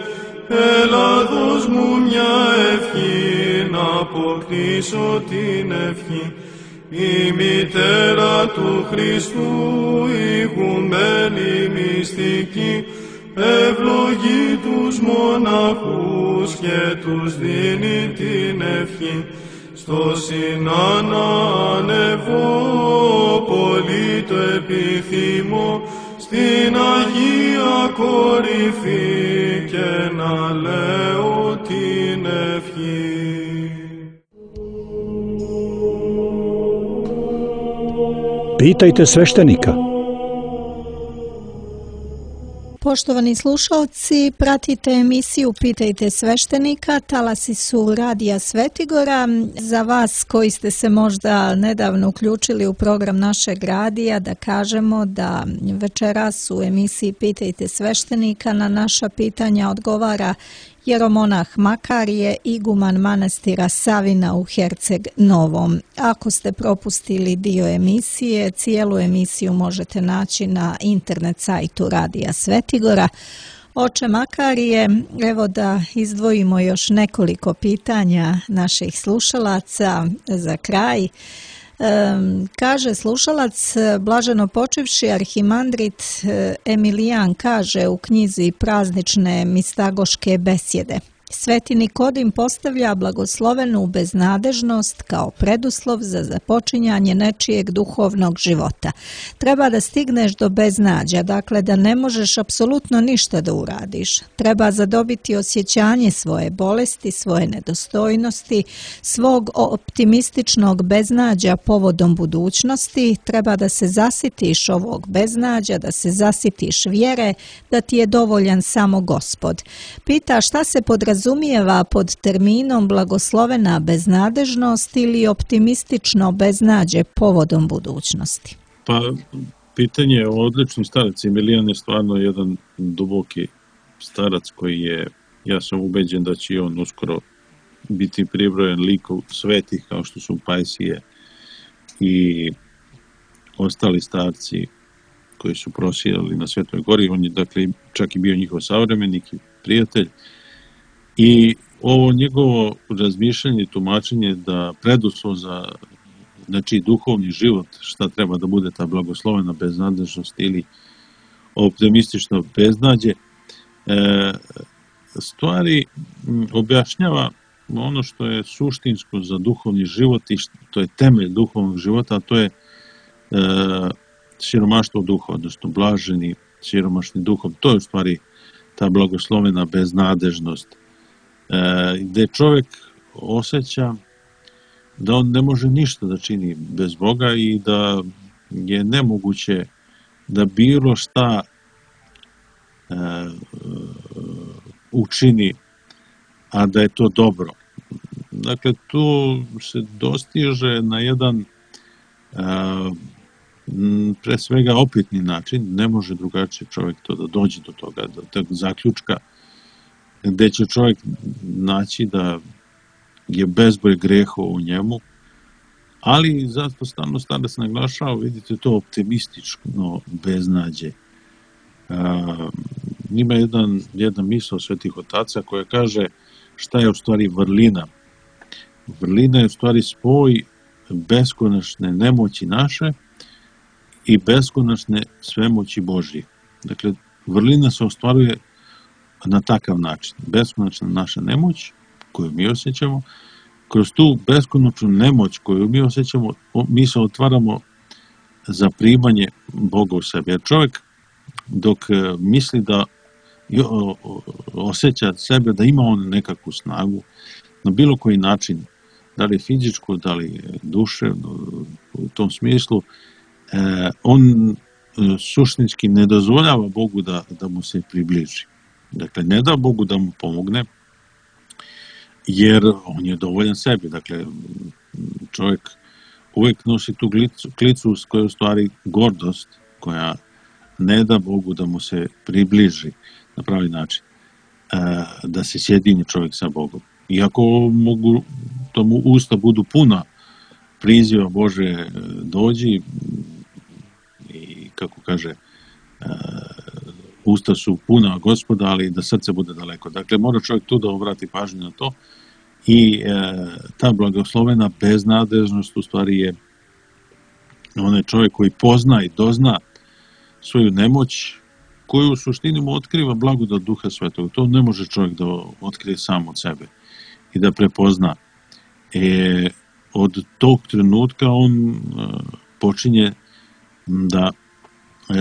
έλα δώσ' μου μια ευχή να αποκτήσω την ευχή. Η μητέρα του Χριστού, ηγουμένη μυστική, ευλογεί τους μοναχούς και τους δίνει την ευχή. Στο Σινά να ανεβώ, πολύ το επιθυμώ, στην Αγία κορυφή και να λέω την ευχή. Pitajte sveštenika. Poštovani slušalci, pratite emisiju Pitajte sveštenika, talasi su Radija Svetigora. Za vas koji ste se možda nedavno uključili u program našeg radija, da kažemo da večeras u emisiji Pitajte sveštenika na naša pitanja odgovara jeromonah Makarije, iguman manastira Savina u Herceg Novom. Ako ste propustili dio emisije, cijelu emisiju možete naći na internet sajtu Radija Svetigora. Oče Makarije, evo da izdvojimo još nekoliko pitanja naših slušalaca za kraj. Kaže slušalac, blaženo počivši arhimandrit Emilijan kaže u knjizi Praznične mistagoške besjede: Sveti Nikodim postavlja blagoslovenu beznadežnost kao preduslov za započinjanje nečijeg duhovnog života. Treba da stigneš do beznađa, dakle da ne možeš apsolutno ništa da uradiš. Treba zadobiti osjećanje svoje bolesti, svoje nedostojnosti, svog optimističnog beznađa povodom budućnosti. Treba da se zasitiš ovog beznađa, da se zasitiš vjere, da ti je dovoljan samo Gospod. Pita šta se podrazumijeva razumijeva pod terminom blagoslovena beznadežnost ili optimistično beznađe povodom budućnosti? Pa, pitanje je odlični starac. Emilijan je stvarno jedan duboki starac koji je, ja sam ubeđen da će on uskoro biti pribrojen likov svetih kao što su Pajsije i ostali starci koji su prosijali na Svetoj gori. On je dakle čak i bio njihov savremenik i prijatelj. I ovo njegovo razmišljanje i tumačenje da preduslov za znači, duhovni život, šta treba da bude ta blagoslovena beznadežnost ili optimistično beznađe, e, stvari objašnjava ono što je suštinsko za duhovni život i što je temelj duhovnog života, a to je e, siromaštvo duha, odnosno blaženi siromašni duhom. To je u stvari ta blagoslovena beznadežnost, gde čovjek osjeća da on ne može ništa da čini bez Boga i da je nemoguće da bilo šta e, učini, a da je to dobro. Dakle, tu se dostiže na jedan e, pre svega opitni način, ne može drugačije čovjek to da dođe do toga, do tog zaključka, gde će čovjek naći da je bezbroj grehova u njemu, ali zato stalno starac naglašava, vidite, to optimistično beznađe. A, ima jedan, jedna misao svetih otaca koja kaže šta je u stvari vrlina. Vrlina je u stvari spoj beskonačne nemoći naše i beskonačne svemoći Božje. Dakle, vrlina se ostvaruje na takav način. Beskonačna naša nemoć koju mi osjećamo, kroz tu beskonačnu nemoć koju mi osjećamo, mi se otvaramo za primanje Boga u sebi. Jer čovjek dok misli da osjeća sebe da ima on nekakvu snagu, na bilo koji način, da li fizičku, da li duševno, u tom smislu, on suštinski ne dozvoljava Bogu da, da mu se približi. Dakle, ne da Bogu da mu pomogne, jer on je dovoljan sebi. Dakle, čovjek uvijek nosi tu klicu, klicu koja je u stvari gordost, koja ne da Bogu da mu se približi na pravi način, da se sjedini čovjek sa Bogom. Iako mogu, to mu usta budu puna priziva Bože dođi i kako kaže, usta su puna Gospoda, ali da srce bude daleko. Dakle, mora čovjek tu da obrati pažnju na to i e, ta blagoslovena beznadežnost u stvari je onaj čovjek koji pozna i dozna svoju nemoć, koju u suštini mu otkriva blagodat Duha Svetog. To ne može čovjek da otkrije sam od sebe i da prepozna. E, od tog trenutka on e, počinje da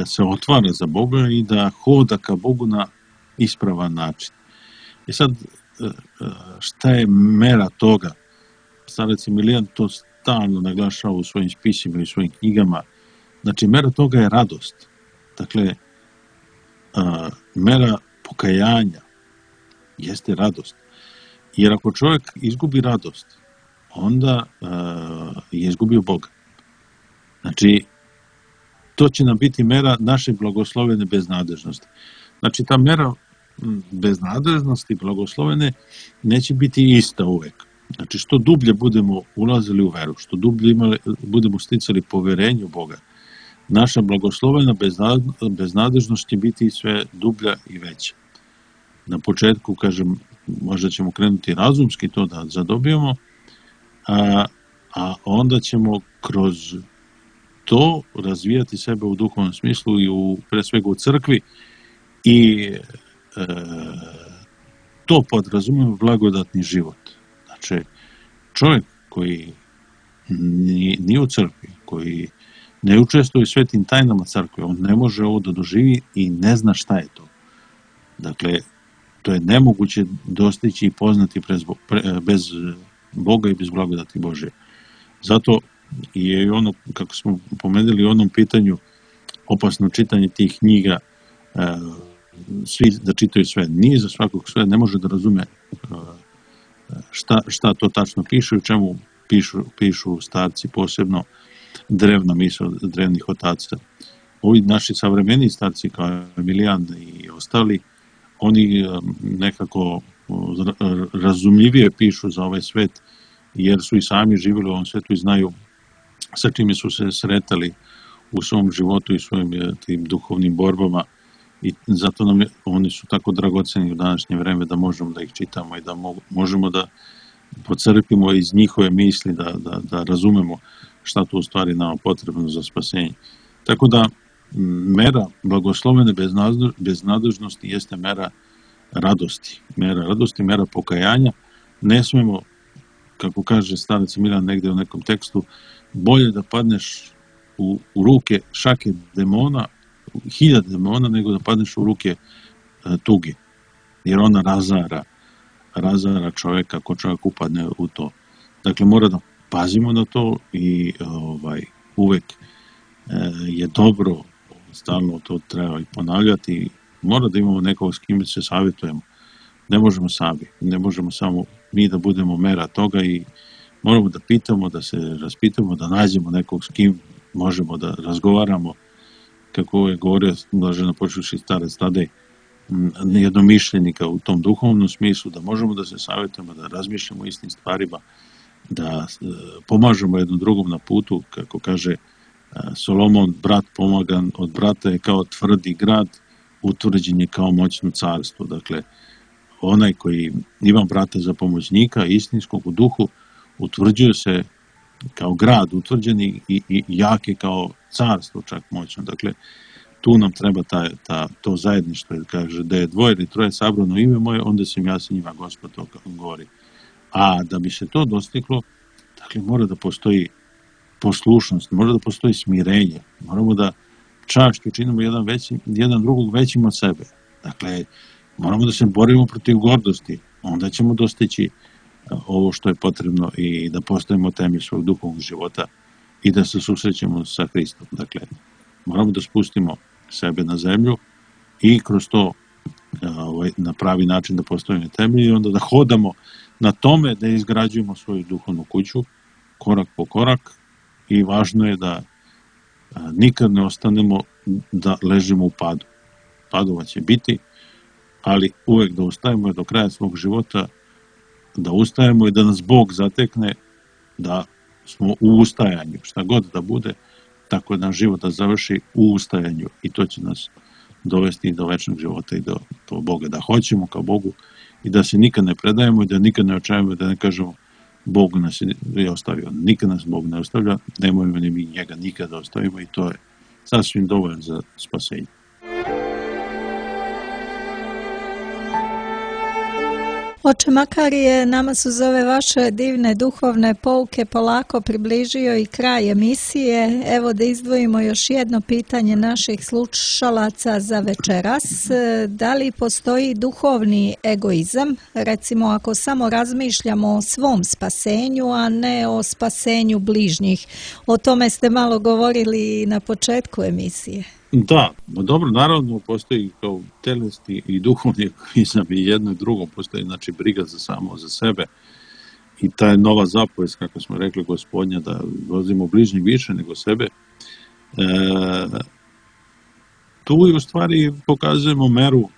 se otvara za Boga i da hoda ka Bogu na ispravan način. I sad, šta je mera toga? Starac Emilijan to stalno naglašava u svojim spisima i svojim knjigama. Znači, mera toga je radost. Dakle, mera pokajanja jeste radost. Jer ako čovjek izgubi radost, onda je izgubio Boga. Znači, to će nam biti mera naše blagoslovene beznadežnosti. Znači, ta mera beznadežnosti blagoslovene neće biti ista uvek. Znači, što dublje budemo ulazili u veru, što dublje imali, budemo sticali poverenje u Boga, naša blagoslovena beznadežnost će biti sve dublja i veća. Na početku, kažem, možda ćemo krenuti razumski to da zadobijemo, a, a onda ćemo kroz to razvijati sebe u duhovnom smislu i u, pre svega u crkvi i e, to podrazumijeva blagodatni život. Znači, čovjek koji nije u crkvi, koji ne učestvuje u svetim tajnama crkve, on ne može ovo da doživi i ne zna šta je to. Dakle, to je nemoguće dostići i poznati bez Boga i bez blagodati Božje. Zato je i ono, kako smo pomenuli u onom pitanju, opasno čitanje tih knjiga, svi da čitaju sve. Nije za svakog sve, ne može da razume šta, šta to tačno piše, u čemu pišu, pišu starci, posebno drevna misao drevnih otaca. Ovi naši savremeni starci kao Emilijan i ostali, oni nekako razumljivije pišu za ovaj svet, jer su i sami živjeli u ovom svetu i znaju sa čime su se sretali u svom životu i svojim tim duhovnim borbama, i zato nam je, oni su tako dragoceni u današnje vreme da možemo da ih čitamo i da možemo da pocrpimo iz njihove misli, da, da, da razumemo šta to u stvari nama potrebno za spasenje. Tako da mera blagoslovene beznadežnosti jeste mera radosti. Mera radosti, mera pokajanja. Ne smemo, kako kaže starac Milan negde u nekom tekstu, bolje da padneš u, u ruke šake demona, hiljad demona, nego da padneš u ruke e, tuge. Jer ona razara, razara čovjeka ako čovjek upadne u to. Dakle, mora da pazimo na to i ovaj, uvek e, je dobro, stalno to treba i ponavljati. Mora da imamo nekog s kim se savjetujemo. Ne možemo sami, ne možemo samo mi da budemo mera toga i moramo da pitamo, da se raspitamo, da nađemo nekog s kim možemo da razgovaramo, kako je govorio blaženo počuši starac Tadej, jednomišljenika u tom duhovnom smislu, da možemo da se savjetujemo, da razmišljamo istim stvarima, da pomažemo jednom drugom na putu, kako kaže Solomon, brat pomagan od brata je kao tvrdi grad, utvrđen je kao moćno carstvo. Dakle, onaj koji ima brata za pomoćnika, istinskog u duhu, utvrđuje se kao grad, utvrđeni i, i jake kao carstvo čak moćno. Dakle, tu nam treba ta, ta, to zajedništvo, jer kaže da je dvoje ili troje sabrano ime moje, onda sam ja sa njima, Gospod to govori. A da bi se to dostiglo, dakle, mora da postoji poslušnost, mora da postoji smirenje, moramo da čašću činimo jedan, veći, jedan drugog većim od sebe. Dakle, moramo da se borimo protiv gordosti, onda ćemo dostići ovo što je potrebno i da postojimo temelj svog duhovnog života i da se susrećemo sa Hristom. Dakle, moramo da spustimo sebe na zemlju i kroz to ovaj, na pravi način da postavimo temelj i onda da hodamo na tome da izgrađujemo svoju duhovnu kuću korak po korak i važno je da a, nikad ne ostanemo da ležimo u padu. Padova će biti, ali uvek da ustajemo do kraja svog života, da ustajemo i da nas Bog zatekne da smo u ustajanju, šta god da bude, tako da život da završi u ustajanju i to će nas dovesti do večnog života i do, do Boga, da hoćemo kao Bogu i da se nikad ne predajemo i da nikad ne očajemo, da ne kažemo Bog nas je ostavio. Nikad nas Bog ne ostavlja, nemojmo ni mi njega nikada ostavimo i to je sasvim dovoljno za spasenje. Oče Makarije, nama su za ove vaše divne duhovne pouke polako približio i kraj emisije. Evo da izdvojimo još jedno pitanje naših slušalaca za večeras. Da li postoji duhovni egoizam? Recimo ako samo razmišljamo o svom spasenju, a ne o spasenju bližnjih. O tome ste malo govorili na početku emisije. Da, dobro, naravno postoji kao telesni i duhovni egoizam i jedno i drugo, postoji znači briga za samo za sebe i ta je nova zapovest, kako smo rekli, Gospodnja, da vozimo bližnjeg više nego sebe. E, tu u stvari pokazujemo meru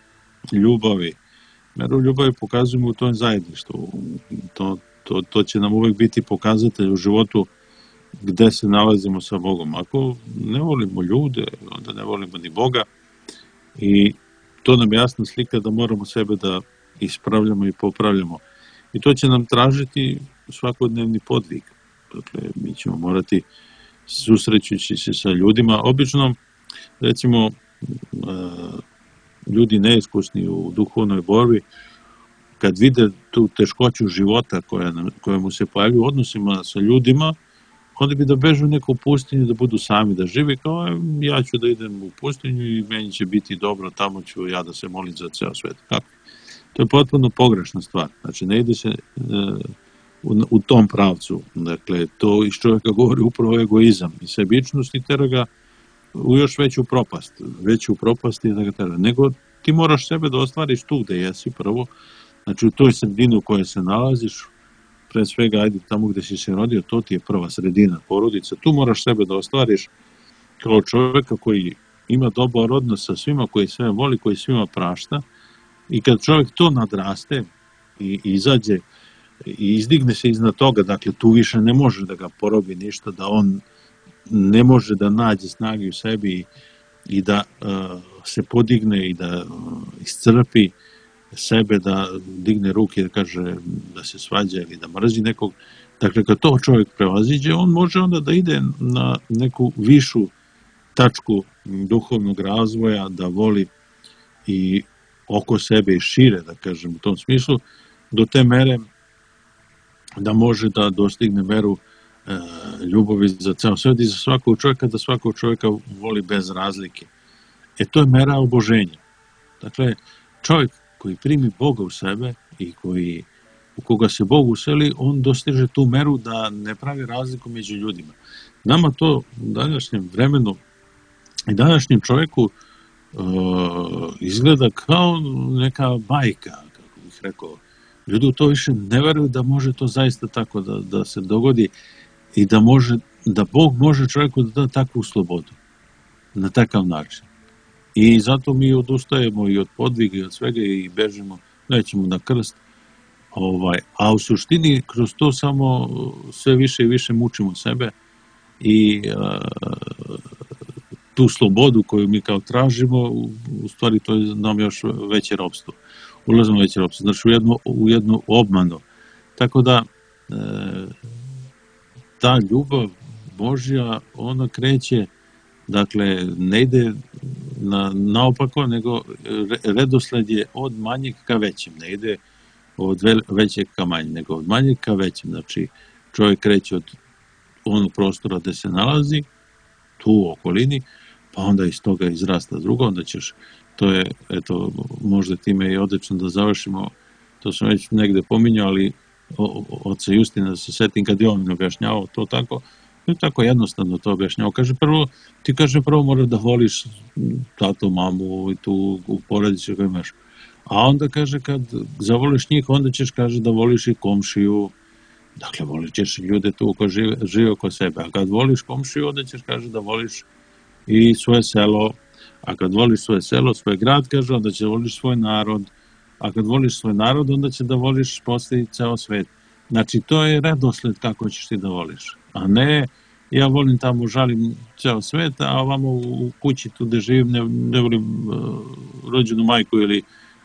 ljubavi. Meru ljubavi pokazujemo u tom zajedništvu. To, to, to će nam uvek biti pokazatelj u životu gde se nalazimo sa Bogom. Ako ne volimo ljude, onda ne volimo ni Boga i to nam je jasna slika da moramo sebe da ispravljamo i popravljamo. I to će nam tražiti svakodnevni podvig. Dakle, mi ćemo morati susrećući se sa ljudima. Obično, recimo, ljudi neiskusni u duhovnoj borbi, kad vide tu teškoću života koja, koja mu se pojavlja u odnosima sa ljudima, onda bi da bežu u neku pustinju, da budu sami, da žive kao ja ću da idem u pustinju i meni će biti dobro, tamo ću ja da se molim za ceo svet. Kako? To je potpuno pogrešna stvar. Znači, ne ide se e, u, u tom pravcu. Dakle, to iz čovjeka govori upravo egoizam i sebičnost i tera ga u još veću propast. Veću propast je da ga tera. Nego ti moraš sebe da ostvariš tu gde jesi prvo, znači u toj sredini u kojoj se nalaziš, pre svega, ajde tamo gde si se rodio, to ti je prva sredina, porodica. Tu moraš sebe da ostvariš kao čovjeka koji ima dobar odnos sa svima, koji sve voli, koji svima prašta. I kad čovjek to nadraste i izađe i izdigne se iznad toga, dakle tu više ne može da ga porobi ništa, da on ne može da nađe snage u sebi i da uh, se podigne i da uh, iscrpi sebe, da digne ruke i da kaže da se svađa ili da mrzi nekog. Dakle, kad to čovjek prevaziđe, on može onda da ide na neku višu tačku duhovnog razvoja, da voli i oko sebe i šire, da kažem, u tom smislu, do te mere da može da dostigne meru e, ljubavi za ceo svet i za svakog čovjeka, da svakog čovjeka voli bez razlike. E, to je mera oboženja. Dakle, čovjek koji primi Boga u sebe i koji, u koga se Bog useli, on dostiže tu meru da ne pravi razliku među ljudima. Nama to u današnjem vremenu i današnjem čovjeku uh, izgleda kao neka bajka, kako bih rekao. Ljudi u to više ne veruju da može to zaista tako da, da se dogodi i da može, da Bog može čovjeku da da takvu slobodu na takav način. I zato mi odustajemo i od podviga i od svega i bežimo, nećemo na krst. Ovaj, a u suštini kroz to samo sve više i više mučimo sebe i a, tu slobodu koju mi kao tražimo, u, u stvari to je nam još veće ropstvo. Ulazimo u veće ropstvo, znači u jednu, u jednu obmanu. Tako da e, ta ljubav Božja, ona kreće, dakle, ne ide na, naopako, nego redosled je od manjeg ka većem, ne ide od većeg ka manjeg, nego od manjeg ka većem. Znači, čovjek kreće od onog prostora gde se nalazi, tu u okolini, pa onda iz toga izrasta drugo, onda ćeš, to je, eto, možda time je odlično da završimo, to sam već negde pominjao, ali oca Justina, da se setim kad je on objašnjavao to tako, to je tako jednostavno to objašnjavao. Kaže, prvo, ti kaže, prvo moraš da voliš tato, mamu i tu u porodici koju imaš. A onda kaže, kad zavoliš njih, onda ćeš, kaže, da voliš i komšiju, dakle, volit ćeš ljude tu ko žive, žive oko sebe. A kad voliš komšiju, onda ćeš, kaže, da voliš i svoje selo. A kad voliš svoje selo, svoj grad, kaže, onda će da voliš svoj narod. A kad voliš svoj narod, onda će da voliš posle ceo svet. Znači, to je redosled kako ćeš ti da voliš. A ne, ja volim tamo, žalim ceo svet, a ovamo u kući tu gde živim ne, ne volim uh, rođenu majku ili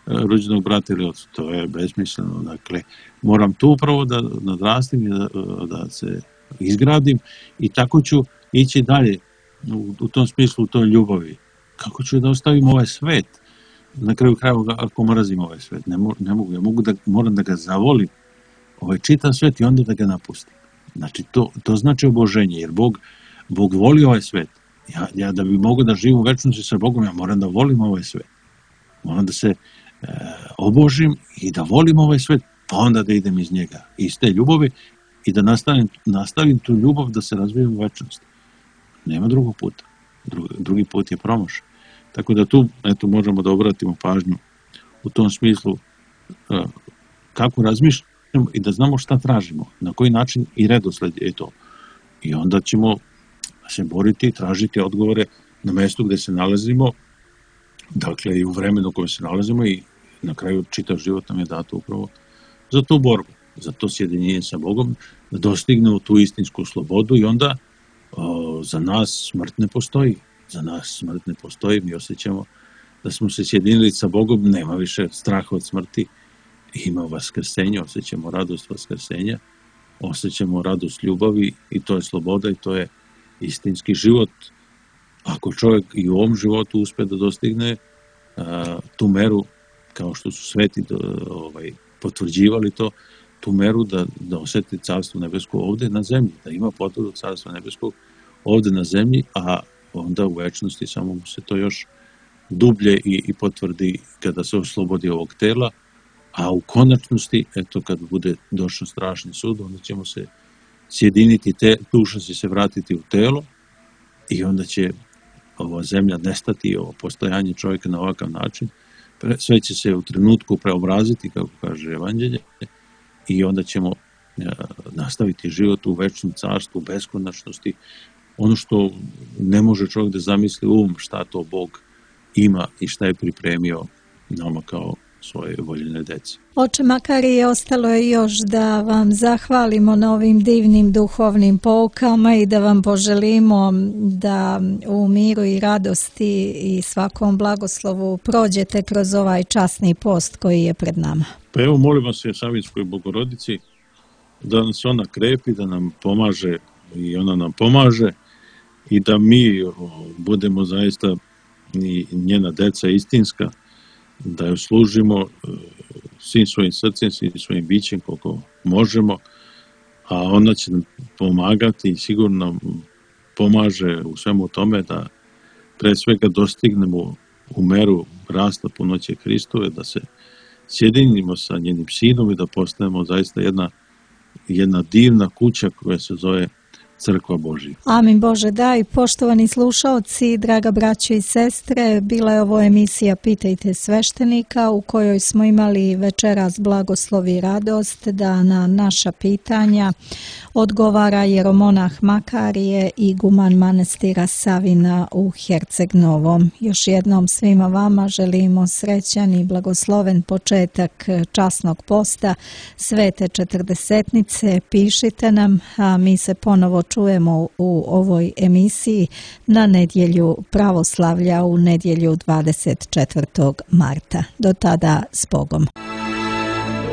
uh, rođenog brata ili oca. To je besmisleno. Dakle, moram tu upravo da nadrastim i da, da se izgradim i tako ću ići dalje u, u tom smislu, u toj ljubavi. Kako ću da ostavim ovaj svet? Na kraju krajeva, ako mrazim ovaj svet, ne, mo, ne mogu. Ja mogu da, moram da ga zavolim, ovaj čitav svet i onda da ga napustim. Znači, to, to znači oboženje, jer Bog, Bog voli ovaj svet. Ja, ja da bi mogo da živim u večnosti sa Bogom, ja moram da volim ovaj svet. Moram da se e, obožim i da volim ovaj svet, pa onda da idem iz njega, iz te ljubavi i da nastavim, nastavim tu ljubav da se razvijem u večnosti. Nema drugog puta. Drugi, drugi put je promašaj. Tako da tu, eto, možemo da obratimo pažnju u tom smislu e, kako razmišljamo i da znamo šta tražimo, na koji način i redosled je to. I onda ćemo se boriti, tražiti odgovore na mjestu gde se nalazimo, dakle i u vremenu u kojem se nalazimo i na kraju čitav život nam je dato upravo za tu borbu, za to sjedinjenje sa Bogom, da dostignemo tu istinsku slobodu i onda o, za nas smrt ne postoji. Za nas smrt ne postoji, mi osjećamo da smo se sjedinili sa Bogom, nema više straha od smrti, ima vaskrsenje, osjećamo radost vaskrsenja, osjećamo radost ljubavi i to je sloboda i to je istinski život, ako čovjek i u ovom životu uspe da dostigne a, tu meru, kao što su sveti do, ovaj, potvrđivali to, tu meru da, da osjeti Carstvo nebesko ovdje na zemlji, da ima potvrdu Carstva nebeskog ovdje na zemlji, a onda u večnosti samo mu se to još dublje i, i potvrdi kada se oslobodi ovog tela, a u konačnosti, eto, kad bude došao strašni sud, onda ćemo se sjediniti, te, duša će se vratiti u telo i onda će ova zemlja nestati, ovo postojanje čovjeka na ovakav način, sve će se u trenutku preobraziti, kako kaže Evanđelje, i onda ćemo nastaviti život u večnom carstvu, beskonačnosti, ono što ne može čovjek da zamisli um, šta to Bog ima i šta je pripremio nama kao svoje voljene dece. Oče Makarije, ostalo je još da vam zahvalimo na ovim divnim duhovnim poukama i da vam poželimo da u miru i radosti i svakom blagoslovu prođete kroz ovaj časni post koji je pred nama. Pa evo, molimo se Savinskoj Bogorodici da nas ona krepi, da nam pomaže i ona nam pomaže i da mi budemo zaista i njena deca istinska, da joj služimo svim svojim srcem, svim svojim bićem koliko možemo, a ona će nam pomagati i sigurno nam pomaže u svemu tome da pre svega dostignemo u meru rasta punoće Hristove, da se sjedinimo sa njenim sinom i da postanemo zaista jedna, jedna divna kuća koja se zove Crkva Božja. Amin Bože daj. Poštovani slušaoci, draga braćo i sestre, bila je ovo emisija Pitajte sveštenika u kojoj smo imali večeras blagoslov i radost da na naša pitanja odgovara jeromonah Makarije i guman manastira Savina u Herceg Novom. Još jednom svima vama želimo srećan i blagosloven početak časnog posta Svete četrdesetnice. Pišite nam, a mi se ponovo čujemo u ovoj emisiji na nedjelju pravoslavlja, u nedjelju dvadeset četvrtog marta. Do tada s Bogom.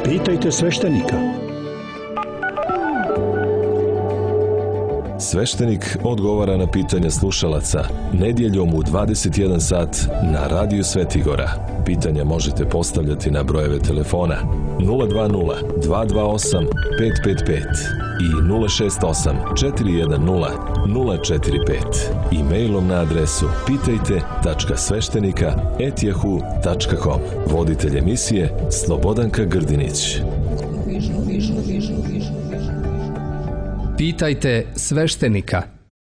Pitajte sveštenika. Sveštenik odgovara na pitanja slušalaca nedjeljom u dvadeset jedan sat na Radiju Svetigora. Pitanja možete postavljati na brojeve telefona nula dva nula, dva dva osam, pet pet pet i nula šest osam, četiri jedan nula, nula četiri pet. E-mailom na adresu pitajte tačka sveštenika at yahoo tačka com. Voditelj emisije Slobodanka Grdinić. Pitajte sveštenika.